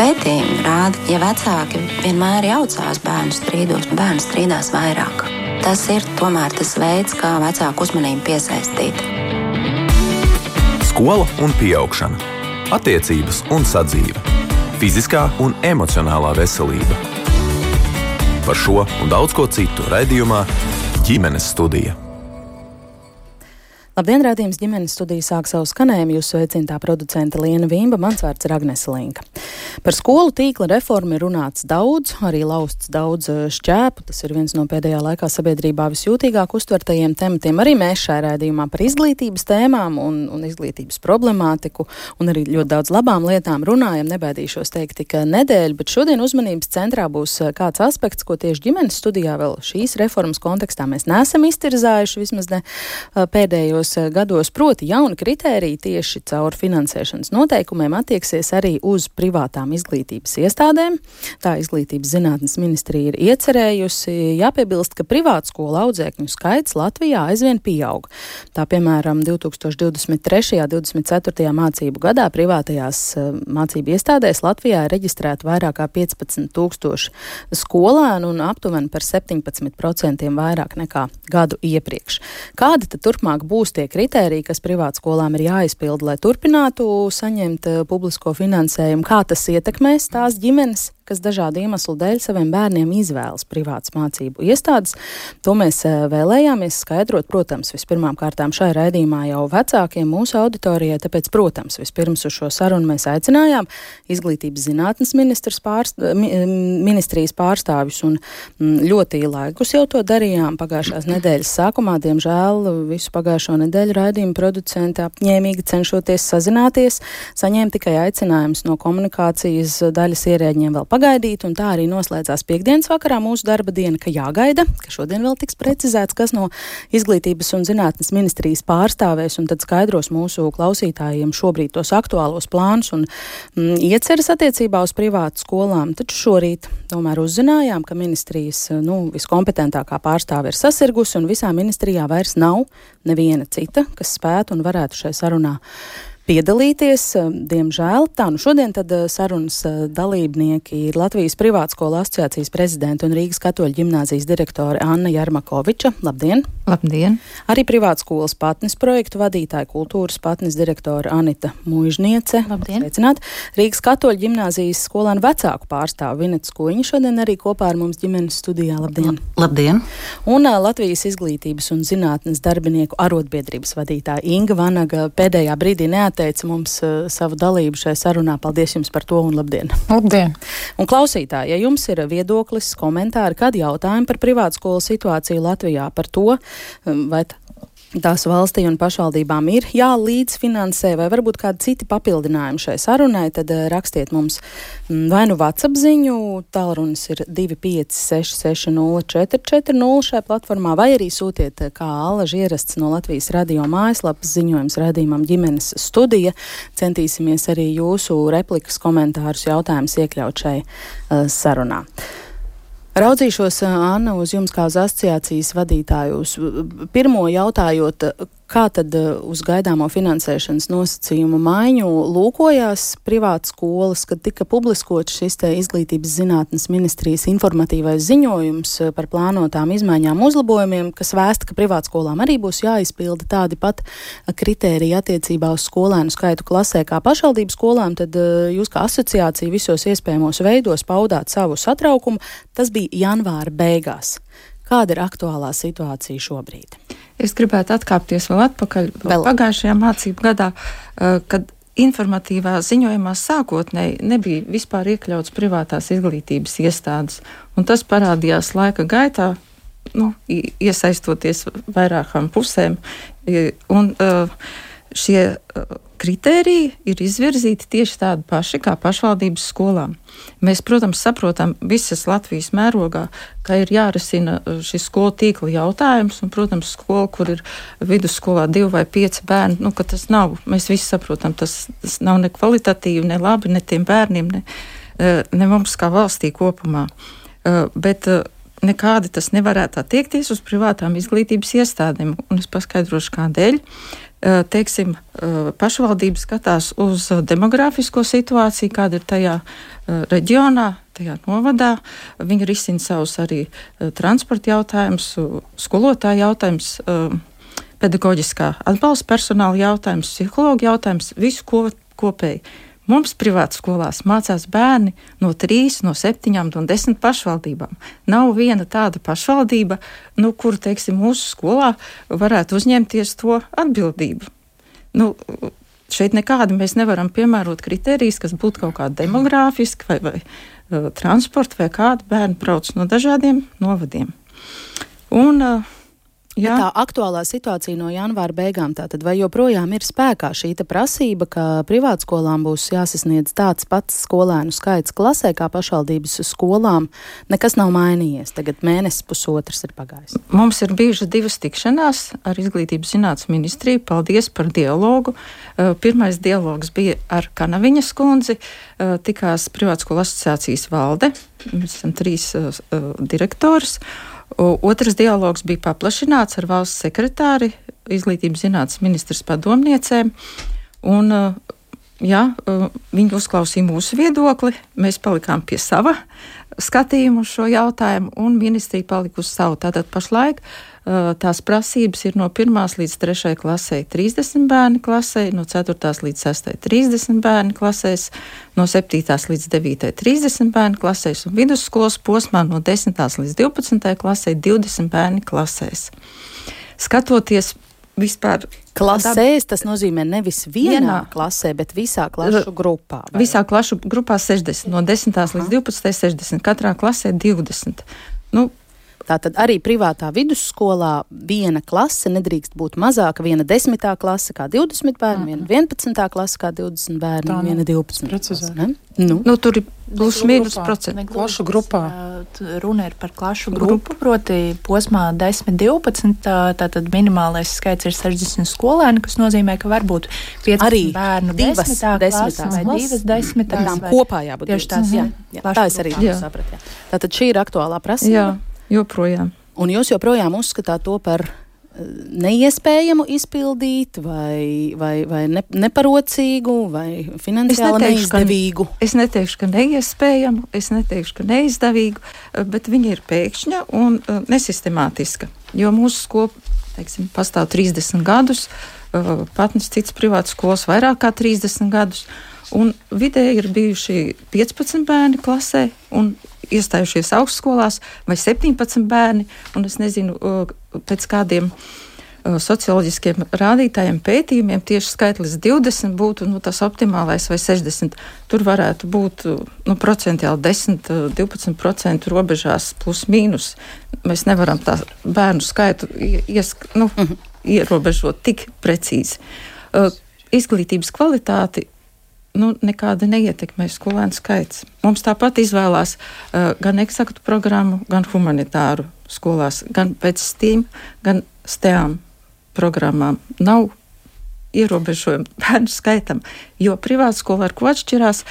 Pētījumi rāda, ja vecāki vienmēr jaucās bērnu strīdos, bērni strīdās vairāk. Tas ir tomēr tas veids, kā vecāku uzmanību piesaistīt. Skola un pieaugšana, attiecības un sadzīve, fiziskā un emocionālā veselība. Par šo un daudz ko citu raidījumā Ģimenes studija. Labdien, raidījums Ģimenes studija sāk savu skanējumu. Jūs sveicinātā producente Liena Vimba, mans vārds ir Agnese Linka. Par skolu tīkla reformu ir runāts daudz, arī lausts daudz šķēpu. Tas ir viens no pēdējā laikā sabiedrībā visjūtīgāk uztvertajiem tematiem. Arī mēs šajā raidījumā par izglītības tēmām un izglītības problemātiku un arī ļoti daudz labām lietām runājam. Nebaidīšos teikt tik nedēļu, bet šodien uzmanības centrā būs kāds aspekts, ko tieši Ģimenes studijā vēl šīs reformas kontekstā mēs neesam iztirzājuši, vismaz ne pēdējos gados, proti jauni kritēriji tieši caur finansēšanas noteikumiem attieksies arī uz privātām izglītības iestādēm. Tā Izglītības zinātnes ministrija ir iecerējusi. Jāpiebilst, ka privātskolu audzēkņu skaits Latvijā aizvien pieaug. Tā, piemēram, 2023. 24. mācību gadā privātajās mācību iestādēs Latvijā ir reģistrēta vairāk kā 15,000 skolēnu un aptuveni par 17% vairāk nekā gadu iepriekš. Kādi tad turpmāk būs tie kritēriji, kas privātskolām ir jāizpilda, lai turpinātu saņemt publisko finansējumu? Kā tas ietekmēs tās ģimenes, kas dažādu iemeslu dēļ saviem bērniem izvēlas privātas mācību iestādes? To mēs vēlējāmies skaidrot, protams, vispirmām kārtām šai raidījumā jau vecākiem mūsu auditorijai, tāpēc, protams, vispirms uz šo sarunu mēs aicinājām Izglītības zinātnes ministrijas pārstāvjus un ļoti laikus jau to darījām pagājušās nedēļas sākumā. Diemžēl visu pagājušo nedēļu raidījuma producenti apņēmīgi cenšoties sazināties, saņēma tikai aicinājumus no komunikācijas daļas ierēģiem vēl pagaidīt, un tā arī noslēdzās piektdienas vakarā mūsu darba diena, ka jāgaida, ka šodien vēl tiks precizēts, kas no Izglītības un zinātnes ministrijas pārstāvēs, un tad skaidros mūsu klausītājiem šobrīd tos aktuālos plānus un ieceras attiecībā uz privātu skolām. Taču šorīt tomēr uzzinājām, ka ministrijas viskompetentākā pārstāve ir sasirgusi, un visā ministrijā vairs nav neviena cita, kas spētu un varētu šai sarunā piedalīties. Diemžēl tā. Šodien tad sarunas dalībnieki ir Latvijas Privātskolu asociācijas prezidenta un Rīgas Katoļu ģimnāzijas direktore Anna Jarmakoviča. Labdien! Labdien! Arī Privātskolas patnes projektu vadītāja kultūras patnes direktore Anita Muižniece. Labdien! Sveicināt! Rīgas Katoļu ģimnāzijas skolēnu vecāku pārstāvu Vineta Skuiņa šodien arī kopā ar mums ģimenes studijā. Labdien! Labdien! Un Latvijas Izglītības un zinātnes darbinieku arotbiedrības vadītāja Inga Vanaga pēdējā brīdī neatteica mums savu dalību šajā sarunā. Paldies jums par to un labdien! Labdien! Un klausītāji, ja jums ir viedoklis, komentāri, kādi jautājumi par privātskolu situāciju Latvijā, par to, vai tās valstī un pašvaldībām ir jālīdzfinansē, vai varbūt kādi citi papildinājumi šai sarunai, tad rakstiet mums vai nu WhatsApp ziņu, tālrunis ir 256604440 šajā platformā, vai arī sūtiet kā allaži ierasts no Latvijas radio mājaslapas ziņojums raidījumam Ģimenes studija. Centīsimies arī jūsu replikas, komentārus, jautājumus iekļaut šai sarunā. Raudzīšos, Anna, uz jums kā uz asociācijas vadītāju. Pirmo jautājot, kā tad uz gaidāmo finansēšanas nosacījumu maiņu lūkojās privātas skolas, kad tika publiskots šis te Izglītības zinātnes ministrijas informatīvais ziņojums par plānotām izmaiņām uzlabojumiem, kas vēsta, ka privātskolām arī būs jāizpilda tādi pat kritēriji attiecībā uz skolēnu skaitu klasē kā pašvaldības skolām, tad jūs kā asociācija visos iespējamos veidos paudāt savu satraukumu. Tas bija janvāra beigās. Kāda ir aktuālā situācija šobrīd? Es gribētu atkāpties vēl atpakaļ pagājušajā mācību gadā, kad informatīvā ziņojumā sākotnēji nebija vispār iekļauts privātās izglītības iestādes. Un tas parādījās laika gaitā, iesaistoties vairākām pusēm. Un šie kritēriji ir izvirzīti tieši tādi paši kā pašvaldības skolām. Mēs, protams, saprotam visas Latvijas mērogā, ka ir jārisina šis skolu tīkla jautājums, un, protams, skola, kur ir vidusskolā 2 vai 5 bērni, ka tas nav, mēs visi saprotam, tas nav ne kvalitatīvi, ne labi, ne tiem bērniem, ne mums kā valstī kopumā. Bet nekādi tas nevarētu attiekties uz privātām izglītības iestādēm, un es paskaidrošu kādēļ. teiksim, pašvaldības skatās uz demogrāfisko situāciju, kāda ir tajā reģionā, tajā novadā. Viņi risina savus arī transporta jautājumus, skolotāju jautājumus, pedagoģiskā atbalsta personāla jautājums, psihologa jautājums, visu kopēji. Mums privātas skolās mācās bērni no 3, no 7, no 10 pašvaldībām. Nav viena tāda pašvaldība, kuru, teiksim, mūsu skolā varētu uzņemties to atbildību. Šeit nekādi mēs nevaram piemērot kritērijas, kas būtu kaut kādi demogrāfiski vai transporta vai kādi bērni brauc no dažādiem novadiem. Un tā aktuālā situācija no janvāra beigām, tātad vai joprojām ir spēkā šī prasība, ka privātskolām būs jāsasniedz tāds pats skolēnu skaits klasē kā pašvaldības skolām? Nekas nav mainījies, tagad mēnesis pusotrs ir pagājis. Mums ir bijušas 2 tikšanās ar Izglītības zinātnes ministriju. Paldies par dialogu. Pirmais dialogs bija ar Kanaviņas kundzi, tikās Privātskolu asociācijas valde. Mēs esam 3 direktors. Otrs dialogs bija paplašināts ar valsts sekretāri, Izglītības zinātnes ministras padomniecēm. Un, viņi uzklausīja mūsu viedokli, mēs palikām pie sava skatījuma uz šo jautājumu, un ministrija palika uz savu. Tātad pašlaik tās prasības ir no 1. līdz 3. klasē 30 bērni klasē, no 4. līdz 6. 30 bērni klasēs, no 7. līdz 9. 30 bērni klasēs un vidusskolas posmā no 10. līdz 12. klasē 20 bērni klasēs. Skatoties vispār klasēs, tas nozīmē nevis vienā klasē, bet visā klašu grupā. Vai? Visā klašu grupā 60, no 10. līdz 12. 60, katrā klasē 20. Tātad arī privātā vidusskolā viena klase nedrīkst būt mazāka, viena 10. klase kā 20 bērni, viena 11. klase kā 20 bērni, viena 12. klase. Tur ir plus mīnus procenti. Klašu grupā. Runa ir par klašu grupu, proti posmā 10-12, tātad minimālais skaits ir 60 skolēni, kas nozīmē, ka varbūt 15 bērnu 10. klase vai 2 10. Tām kopā jābūt. Tieši tās, tā es arī sapratu. Tātad šī ir aktuālā prasība. Jā. Joprojām. Un jūs joprojām uzskatāt to par neiespējamu izpildīt vai neparocīgu vai finansiāli neizdevīgu? Es neteikšu, ka neiespējamu, es neteikšu, ka neizdevīgu, bet viņa ir pēkšņa un nesistemātiska. Jo mūsu skola, teiksim, pastāv 30 gadus, patnes cits privātas skolas vairāk kā 30 gadus, un vidēji ir bijuši 15 bērni klasē un iestājušies augstskolās vai 17 bērni, un es nezinu, pēc kādiem socioloģiskiem rādītājiem pētījumiem tieši skaitlis 20 būtu tas optimālais vai 60. Tur varētu būt procentuāli 10-12% robežās plus mīnus. Mēs nevaram tā bērnu skaitu ierobežot tik precīzi. Izglītības kvalitāti nekāda neietekmē skolēnu skaits. Mums tāpat izvēlās gan eksaktu programmu, gan humanitāru skolās, gan pēc STEAM, gan STEAM programmām. Nav ierobežojumu bērnu skaitam, jo privāta skola ar ko atšķirās,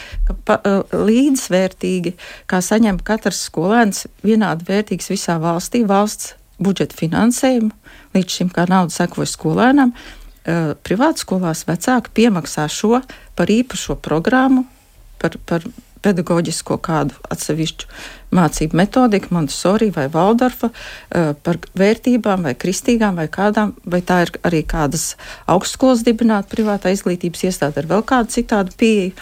ka līdzvērtīgi, kā saņem katrs skolēns vienādi vērtīgs visā valstī, valsts budžeta finansējumu, līdz šim kā nauda sekoja skolēnam. Privātas skolās vecāki piemaksā šo par īpašo programmu, par pedagoģisko kādu atsevišķu mācību metodiku, Montessori vai Valdorfa, par vērtībām vai kristīgām vai kādām, vai tā ir arī kādas augstskolas dibināta privātā izglītības iestāde ar vēl kādu citādu pieeju,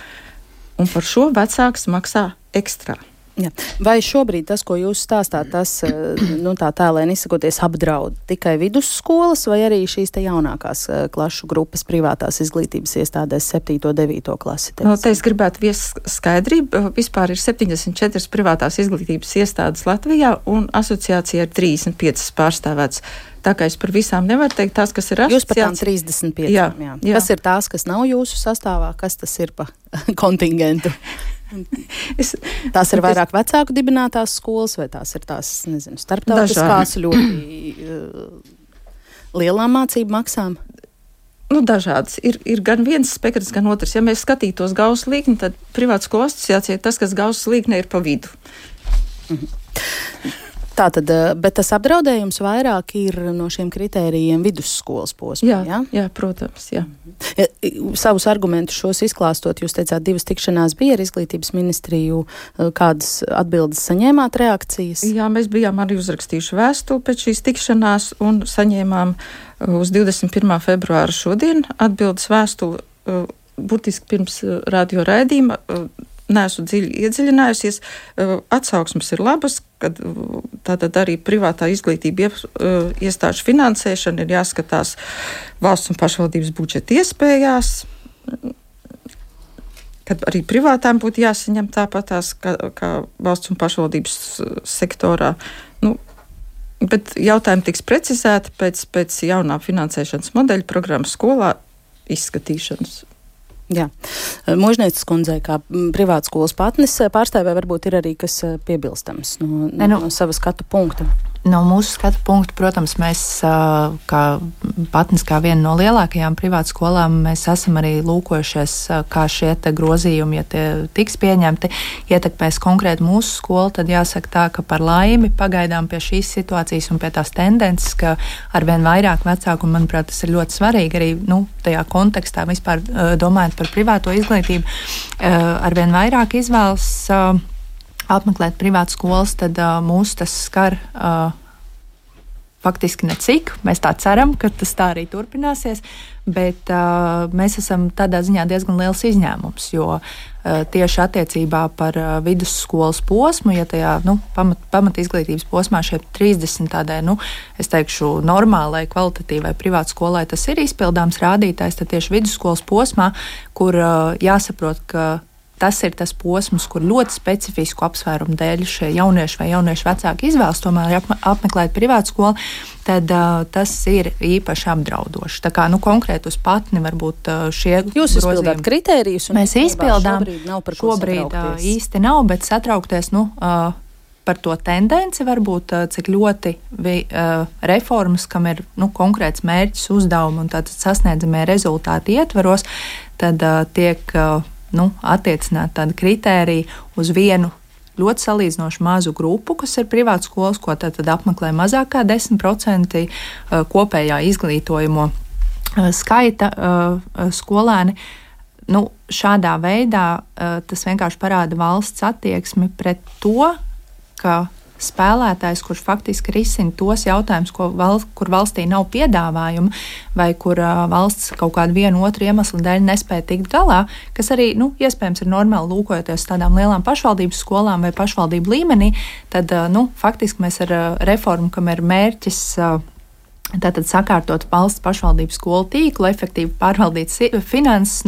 un par šo vecāks maksā ekstrā. Ja. Vai šobrīd tas, ko jūs stāstāt, tas, tā tēlēni izsakoties, apdraud tikai vidusskolas vai arī šīs te jaunākās klašu grupas privātās izglītības iestādēs 7. un 9. klasi? Te es gribētu viest skaidrību. Vispār ir 74 privātās izglītības iestādes Latvijā un asociācija ir 35 pārstāvēts. Tā kā es par visām nevaru teikt, tās, kas ir asociācija. Jūs par tām 35. Jā. Kas ir tās, kas nav jūsu sastāvā? Kas tas ir pa kontingentu? Tās ir vairāk vecāku dibinātās skolas, vai tās ir tās, nezinu, starptautiskās ļoti lielām mācību maksām? Dažādas. Ir gan viens spektrs, gan otrs. Ja mēs skatītos Gauss līkni, tad privāta skolu asociācija ir tas, kas Gauss līknē ir pa vidu. Tātad, bet tas apdraudējums vairāk ir no šiem kritērijiem vidusskolas posmā, jā, protams, jā. Savus argumentus šos izklāstot, jūs teicāt, 2 tikšanās bija ar Izglītības ministriju, kādas atbildes saņēmāt, reakcijas? Jā, mēs bijām arī uzrakstījuši vēstuli pēc šīs tikšanās un saņēmām uz 21. februāra šodien atbildes vēstuli, burtiski pirms radio raidījuma. Neesmu dziļi iedziļinājusies. Atsauksmes ir labas, kad tātad arī privātā izglītība iestāžu finansēšana ir jāskatās valsts un pašvaldības budžeta iespējās, kad arī privātām būtu jāsaņem tāpatās kā valsts un pašvaldības sektorā. Bet jautājumi tiks precizēti pēc jaunā finansēšanas modeļa programmas skolā izskatīšanas. Jā. Možnieces kundzei, kā privātskolas patnes pārstāvē, varbūt ir arī kas piebilstams no sava skatu punkta. No mūsu skatu punkta, protams, mēs kā patnes, kā viena no lielākajām privātskolām, mēs esam arī lūkojušies, kā šie te grozījumi, ja tie tiks pieņemti, ietekmēs konkrēti mūsu skolu, tad jāsaka tā, ka par laimi pagaidām pie šīs situācijas un pie tās tendences, ka arvien vairāk vecāku, un manuprāt, tas ir ļoti svarīgi arī tajā kontekstā vispār domājot par privāto izglītību, arvien vairāk izvēlas apmeklēt privātu skolas, tad mūs tas skar faktiski necik. Mēs tā ceram, ka tas tā arī turpināsies, bet mēs esam tādā ziņā diezgan liels izņēmums, jo tieši attiecībā par vidusskolas posmu, ja tajā pamat izglītības posmā šie 30 tādai, es teikšu, normālai, kvalitatīvai privātskolai tas ir izpildāms rādītājs, tad tieši vidusskolas posmā, kur jāsaprot, ka tas ir tas posms, kur ļoti specifisku apsvērumu dēļ šie jaunieši vai jauniešu vecāki izvēlas tomēr apmeklēt privātu skolu, tad tas ir īpaši apdraudoši. Tā kā konkrēti uz patni varbūt šie grozījumi. Jūs izpildāt kritērijus? Mēs izpildām. Šobrīd īsti nav, bet satraukties, par to tendenci varbūt, cik ļoti reformas, kam ir konkrēts mērķis, uzdevumi un tātad sasniedzamie rezultāti ietvaros, tad tiek attiecināt tādu kritēriju uz vienu ļoti salīdzinoši mazu grupu, kas ir privātu skolas, ko tad apmeklē mazāk kā 10% kopējā izglītojamo skaita skolēni. Šādā veidā tas vienkārši parāda valsts attieksmi pret to, ka spēlētājs, kurš faktiski risina tos jautājumus, kur valstī nav piedāvājuma, vai kur valsts kaut kādu vienu otru iemeslu dēļ nespēja tikt galā, kas arī, iespējams, ir normāli lūkojoties tādām lielām pašvaldības skolām vai pašvaldību līmenī, tad, faktiski mēs ar reformu, kam ir mērķis tātad sakārtot valsts pašvaldību skolu tīklu, efektīvi pārvaldīt finanses,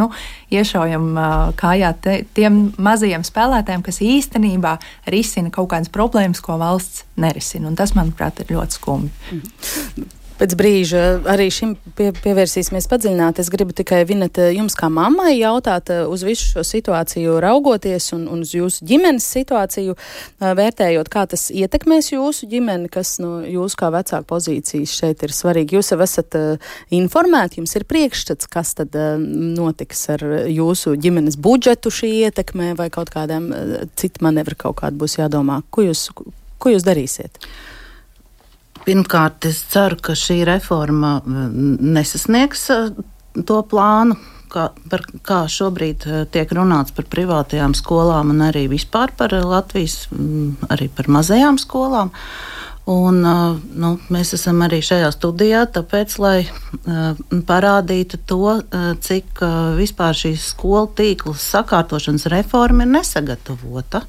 iešaujam kājā tiem mazajiem spēlētājiem, kas īstenībā risina kaut kādas problēmas, ko valsts nerisina. Un tas, manuprāt, ir ļoti skumji. Pēc brīža arī šim pievērsīsimies padziļināt. Es gribu tikai, Vineta, jums kā mammai jautāt uz visu šo situāciju raugoties un uz jūsu ģimenes situāciju vērtējot, kā tas ietekmēs jūsu ģimeni, kas no jūsu kā vecāku pozīcijas šeit ir svarīgi. Jūs jau esat informēti, jums ir priekšstats, kas tad notiks ar jūsu ģimenes budžetu šī ietekmē vai kaut kādām citu manevru kaut kādu būs jādomā. Ko jūs darīsiet? Pirmkārt, es ceru, ka šī reforma nesasniegs to plānu, kā šobrīd tiek runāts par privātajām skolām un arī vispār par Latvijas, arī par mazajām skolām. Un, mēs esam arī šajā studijā, tāpēc, lai parādītu to, cik vispār šīs skolu tīklas sakārtošanas reforma ir nesagatavota.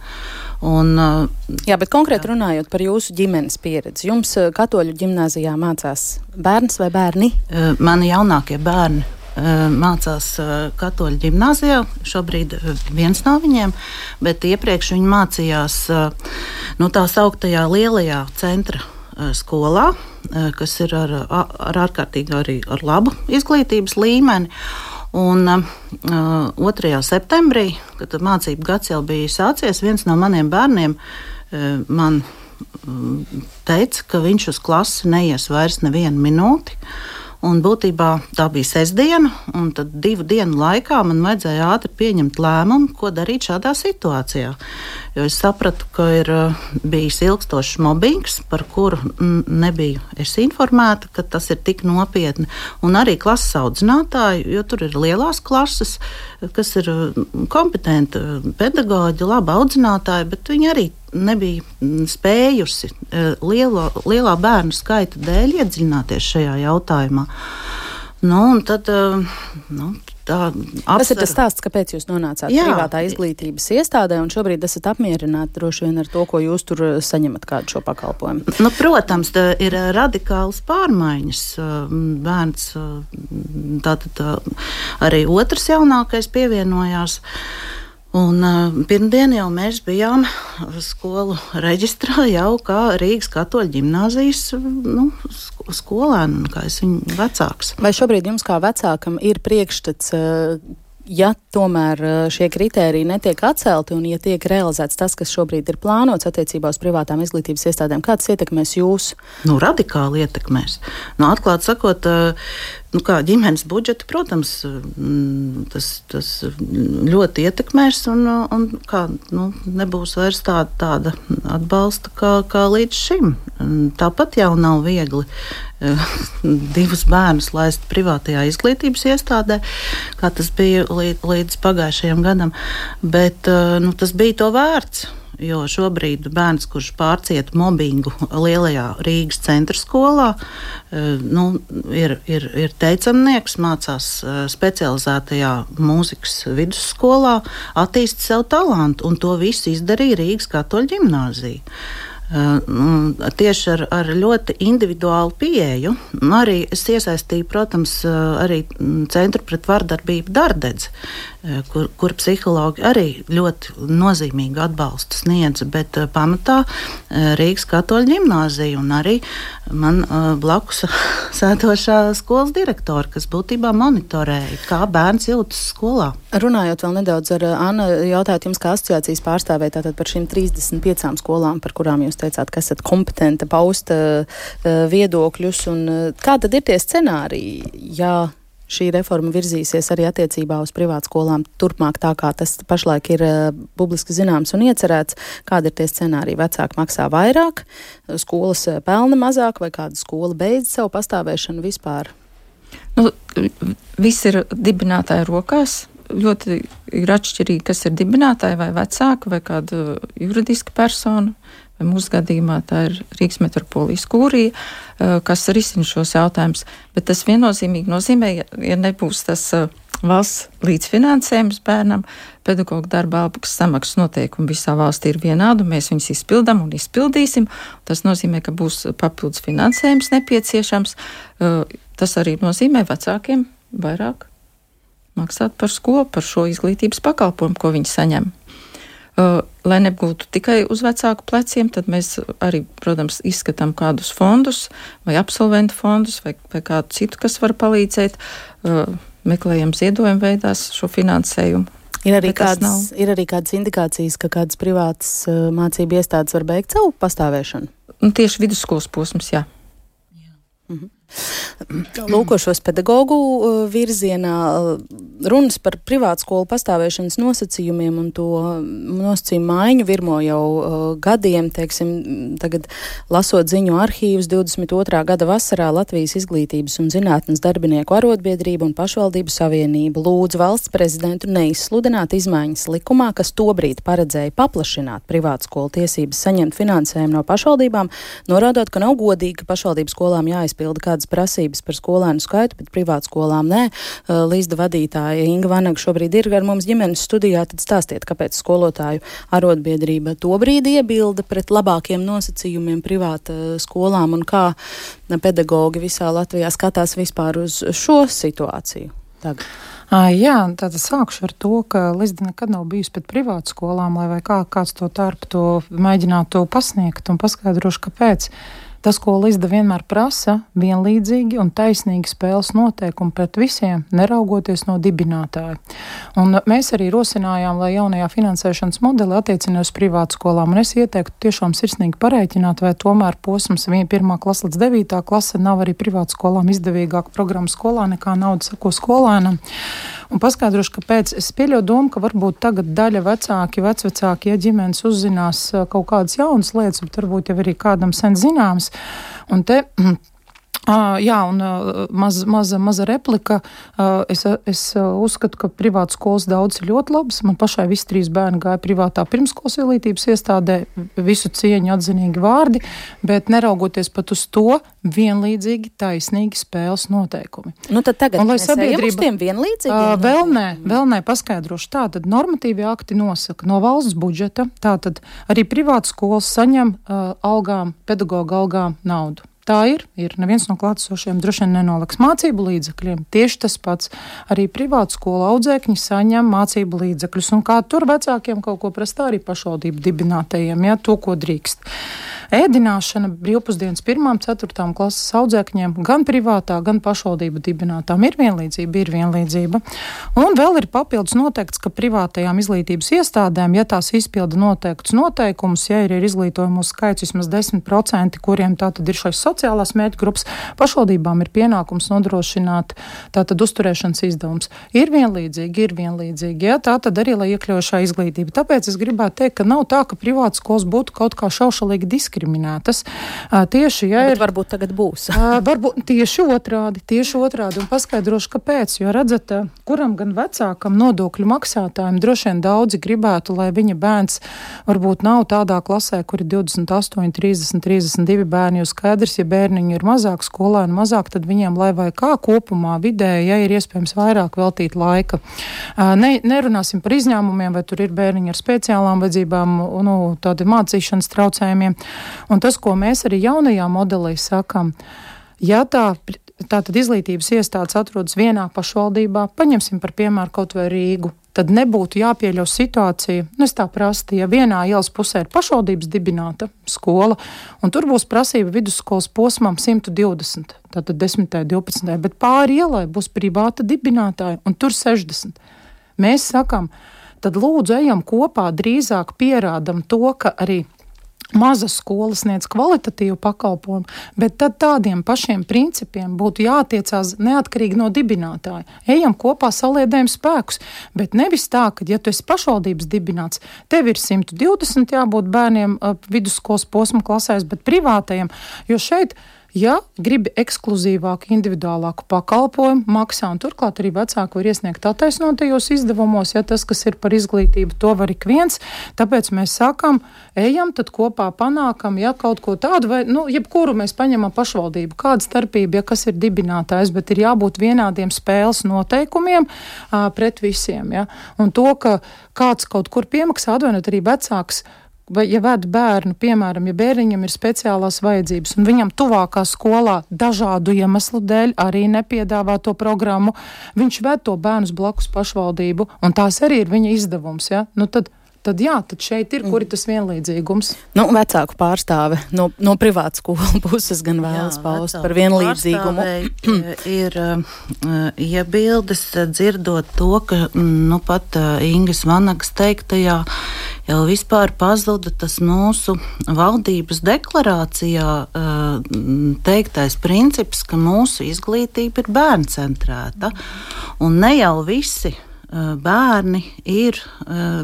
Jā, bet konkrēti runājot par jūsu ģimenes pieredzi, jums katoļu ģimnāzijā mācās bērns vai bērni? Mani jaunākie bērni mācās katoļu ģimnāzijā, šobrīd viens no viņiem, bet iepriekš viņi mācījās tā sauktajā lielajā centra skolā, kas ir ar ārkārtīgi arī ar labu izglītības līmeni. Un 2. septembrī, kad mācību gads jau bija sācies, viens no maniem bērniem man teica, ka viņš uz klasi neies vairs nevienu minūti. Un būtībā tā bija sestdiena, un tad 2 dienu laikā man vajadzēja ātri pieņemt lēmumu, ko darīt šādā situācijā. Jo es sapratu, ka ir bijis ilgstošs mobbings, par kuru nebiju es informēta, ka tas ir tik nopietni. Un arī klases audzinātāji, jo tur ir lielās klases, kas ir kompetenti pedagoģi, labi audzinātāji, bet viņi arī nebija spējusi lielā bērnu skaita dēļ iedziļināties šajā jautājumā. Un tad, Tas ir tas stāsts, kāpēc jūs nonācāt privātā izglītības iestādē, un šobrīd esat apmierināti droši vien ar to, ko jūs tur saņemat kādu šo pakalpojumu. Protams, ir radikālas pārmaiņas. Bērns, tātad arī otrs jaunākais pievienojās. Un pirmdien jau mēs bijām skolu reģistrā jau kā Rīgas katoļu ģimnāzijas skolēni, kā es viņu vecāks. Vai šobrīd jums kā vecākam ir priekšstats, ja tomēr šie kritēriji netiek atcelti un ja tiek realizēts tas, kas šobrīd ir plānots attiecībā uz privātām izglītības iestādēm, kā tas ietekmēs jūs? Radikāli ietekmēs. Atklāt sakot, kā ģimenes budžeti, protams, tas ļoti ietekmēs un kā, nebūs vairs tāda atbalsta kā līdz šim. Tāpat jau nav viegli 2 bērnus laist privātajā izglītības iestādē, kā tas bija līdz pagājušajam gadam, bet tas bija to vērts. Jo šobrīd bērns, kurš pārcieta mobbingu lielajā Rīgas centra skolā, ir teicamnieks, mācās specializētajā mūzikas vidusskolā, attīst sev talantu, un to visu izdarīja Rīgas katoļu ģimnāzija. Tieši ar ļoti individuālu pieeju. Arī es iesaistīju, protams, arī Centru pret vardarbību Dardedzi, kur psihologi arī ļoti nozīmīgu atbalstu sniedza, bet pamatā Rīgas katoļu ģimnāzija un arī man blakus sēdošā skolas direktora, kas būtībā monitorēja, kā bērns jūtas skolā. Runājot vēl nedaudz ar Annu, jautājot jums kā asociācijas pārstāvē tātad par šīm 35 skolām, par kurām jūs teicāt, ka esat kompetenta paust viedokļus, un kā tad ir tie scenāriji, ja šī reforma virzīsies arī attiecībā uz privātskolām turpmāk tā, kā tas pašlaik ir publiski zināms un iecerēts? Kādi ir tie scenāriji? Vecāki maksā vairāk, skolas pelna mazāk, vai kāda skola beidz savu pastāvēšanu vispār? Viss ir dibinātāja rokās. Ļoti ir atšķirīgi, kas ir dibinātāji vai vecāki vai kāda juridiska persona. Vai mūsu gadījumā tā ir Rīgas metropolijas kūrija, kas risina šos jautājumus. Bet tas viennozīmīgi nozīmē, ja nebūs tas valsts līdzfinansējums bērnam, pedagoģa darba algas samaksas noteikumi visā valstī ir vienādi, mēs viņus izpildam un izpildīsim. Tas nozīmē, ka būs papildus finansējums nepieciešams. Tas arī nozīmē vecākiem vairāk maksāt par skolu, par šo izglītības pakalpojumu, ko viņi saņem. Lai nebūtu tikai uz vecāku pleciem, tad mēs arī, protams, izskatām kādus fondus vai absolventu fondus vai kādu citu, kas var palīdzēt, meklējam ziedojumu veidās šo finansējumu. Ir arī kādas indikācijas, ka kādas privātas mācību iestādes var beigt savu pastāvēšanu? Tieši vidusskolas posms, jā. Lūkošos pedagoģu virzienā runas par privātskolu pastāvēšanas nosacījumiem un to nosacījumu maiņu virmo jau gadiem, teiksim, tagad lasot ziņu arhīvus 22. gada vasarā Latvijas izglītības un zinātnes darbinieku arotbiedrība un pašvaldību savienība lūdz valsts prezidentu neizsludināt izmaiņas likumā, kas tobrīd paredzēja paplašināt privātskolu tiesības saņemt finansējumu no pašvaldībām, norādot, ka nav godīgi, ka pašvaldību skolām jāizpilda kādas prasības par skolēnu skaitu, bet privātskolām nē. Līdzda vadītāja Inga Vanaga šobrīd ir ar mums ģimenes studijā, tad stāstiet, kāpēc skolotāju arotbiedrība tobrīd iebilda pret labākiem nosacījumiem privāta skolām un kā pedagoģi visā Latvijā skatās vispār uz šo situāciju tagad. Jā, tad sākšu ar to, ka Lizda nekad nav bijusi pret privātu skolām, lai vai kāds to tarpu to mēģinātu pasniegt un paskaidrošu, kāpēc. Tas, ko Lizda vienmēr prasa, vienlīdzīgi un taisnīgi spēles noteikumi pret visiem, neraugoties no dibinātāja. Un mēs arī rosinājām, lai jaunajā finansēšanas modeli attiecina uz privātu skolām. Un es ieteiktu tiešām sirsnīgi parēķināt, vai tomēr posms 1. klasa līdz 9. klase nav arī privātu skolām izdevīgāka programma skolā nekā nauda sako skolēnam. Un paskaidrošu, kāpēc. Es pieļauju domu, ka varbūt tagad daļa vecvecāki, ja ģimenes uzzinās kaut kādas jaunas lietas, bet varbūt jau arī kādam sen zināms. Un te maza replika. Es uzskatu, ka privātas skolas daudz ir ļoti labas. Man pašai visi 3 bērni gāja privātā pirmskolas izglītības iestādē, visu cieņu atzinīgi vārdi, bet neraugoties pat uz to, vienlīdzīgi, taisnīgi spēles noteikumi. Nu tad tagad mēs ejam uz tiem vienlīdzīgiem? Vēl nē, paskaidrošu. Tātad normatīvi akti nosaka no valsts budžeta, tātad arī privātas skolas saņem algām, pedagoga algām naudu. Tā ir. Neviens no klātesošiem droši vien nenoliks mācību līdzekļiem. Tieši tas pats. Arī privātu skolu audzēkņi saņem mācību līdzekļus. Un kā tur vecākiem kaut ko prasa, arī pašvaldību dibinātajiem, to, ko drīkst. Ēdināšana brīvpusdienas 1. 4. klases audzēkņiem gan privātā, gan pašvaldību dibinātām ir vienlīdzība. Un vēl ir papildus noteikts, ka privātajām izglītības iestādēm, ja tās izpilda noteiktus noteikumus, ja ir izglītojumu skaits vismaz 10%, kuriem tātad ir šais sociālās mērķu grupas, pašvaldībām ir pienākums nodrošināt tātad uzturēšanas izdevums. Ir vienlīdzīgi, tātad arī, lai iekļaujošā izglītība. Tāpēc es gribētu teikt, ka nav tā, ka privātas skolas būtu kaut kā šaušalīgi diskriminētas. Tieši, bet varbūt tagad būs. Varbūt tieši otrādi. Un paskaidrošu, kāpēc. Jo redzat, kuram gan vecākam nodokļu maksātājiem droši vien daudzi gribētu, lai viņa bērns varbūt nav tādā klasē, kur ir 28, 30, 32 bērni. Jo skaidrs, ja bērniņi ir mazāk, skolēni mazāk, tad viņiem, lai vai kā kopumā vidēji, ja ir iespējams vairāk veltīt laika. Nerunāsim par izņēmumiem, vai tur ir bērniņi ar speciālām vajadzībām, tādi mācīšanas traucējumiem. Un tas, ko mēs arī jaunajā modelī sakam, ja tātad izglītības iestādes atrodas vienā pašvaldībā, paņemsim par piemēru kaut vai Rīgu, tad nebūtu jāpieļauj situācija, es tā prastu, ja vienā ielas pusē ir pašvaldības dibināta skola, un tur būs prasība vidusskolas posmam 120, tātad 10. 12. Bet pāri ielai būs privāta dibinātāja, un tur 60. Mēs sakam, tad lūdzu ejam kopā, drīzāk pierādam to, ka arī mazas skolas sniedz kvalitatīvu pakalpojumu, bet tad tādiem pašiem principiem būtu jātiecās neatkarīgi no dibinātāja. Ejam kopā, saliedējam spēkus, bet nevis tā, ka, ja tu esi pašvaldības dibināts, tev ir 120 jābūt bērniem vidusskolas posma klasēs, bet privātajiem, jo šeit, ja gribi ekskluzīvāku, individuālāku pakalpojumu, maksā, un turklāt arī vecāki var iesniegt attaisnotajos izdevumos, ja tas, kas ir par izglītību, to var ik viens, tāpēc mēs sakam, ejam, tad kopā panākam, ja kaut ko tādu, vai, jebkuru mēs paņemam pašvaldību, kāda starpība, ja kas ir dibinātājs, bet ir jābūt vienādiem spēles noteikumiem pret visiem, ja, un to, ka kāds kaut kur piemaksā, atvainot arī vecāks, vai, ja ved bērnu, piemēram, ja bērniņam ir speciālās vajadzības un viņam tuvākā skolā dažādu iemeslu dēļ arī nepiedāvā to programmu, viņš ved to bērnus blakus pašvaldību, un tās arī ir viņa izdevums, ja? Tad šeit ir, kur ir tas vienlīdzīgums. Vecāku pārstāve no privātu skolu puses gan vēlas paust par vienlīdzīgumu. Ir iebildes dzirdot to, ka pat Ingas Vanagas teiktajā jau vispār pazuda tas mūsu valdības deklarācijā teiktais princips, ka mūsu izglītība ir bērncentrēta. Un ne jau visi bērni ir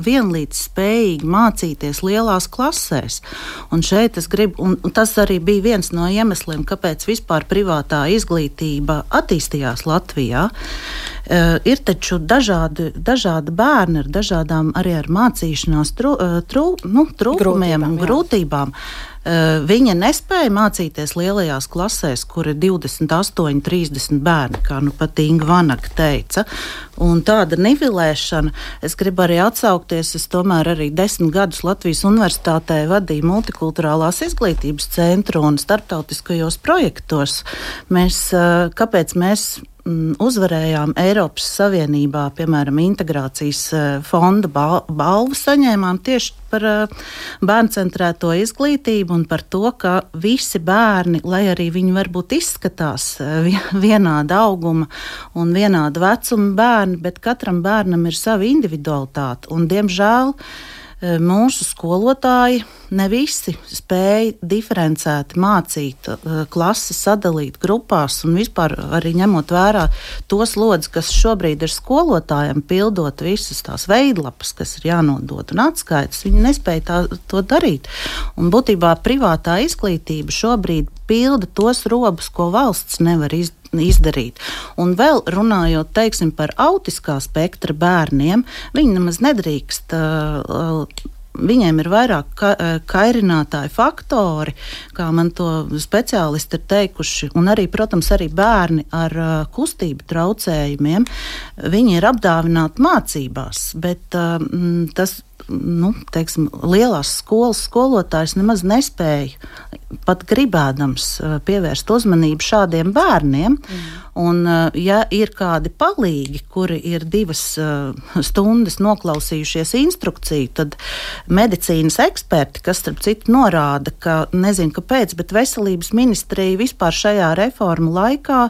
vienlīdz spējīgi mācīties lielās klasēs. Un šeit es gribu, un tas arī bija viens no iemesliem, kāpēc vispār privātā izglītība attīstījās Latvijā. Ir taču dažādi bērni ar dažādām arī ar mācīšanās trūkumiem un grūtībām. Viņa nespēja mācīties lielajās klasēs, kur ir 28, 30 bērni, kā pat Inga Vanaga teica. Un tāda nivelēšana, es gribu arī atsaukties, es tomēr arī 10 gadus Latvijas universitātē vadīju multikulturālās izglītības centru un starptautiskajos projektos. Kāpēc mēs uzvarējām Eiropas Savienībā, piemēram, integrācijas fonda balvu saņēmām tieši par bērncentrēto izglītību un par to, ka visi bērni, lai arī viņi varbūt izskatās vienāda auguma un vienāda vecuma bērni, bet katram bērnam ir sava individualitāte. Un, diemžēl, mūsu skolotāji ne visi spēja diferencēti mācīt, klases sadalīt grupās un vispār arī ņemot vērā tos lodzes, kas šobrīd ir skolotājiem, pildot visas tās veidlapas, kas ir jānodot un atskaitas, viņi nespēja to darīt. Un būtībā privātā izglītība šobrīd pilda tos robus, ko valsts nevar izdarīt. Un vēl runājot, teiksim, par autiskā spektra bērniem, viņi nemaz nedrīkst, viņiem ir vairāk kairinātāji faktori, kā man to speciālisti ir teikuši, un arī, protams, arī bērni ar kustību traucējumiem, viņi ir apdāvināti mācībās, bet tas, teiksim, lielās skolas skolotājs nemaz nespēja pat gribēdams pievērst uzmanību šādiem bērniem. Un, ja ir kādi palīgi, kuri ir 2 stundas noklausījušies instrukciju, tad medicīnas eksperti, kas starp citu norāda, ka nezinu kāpēc, bet veselības ministrija vispār šajā reformu laikā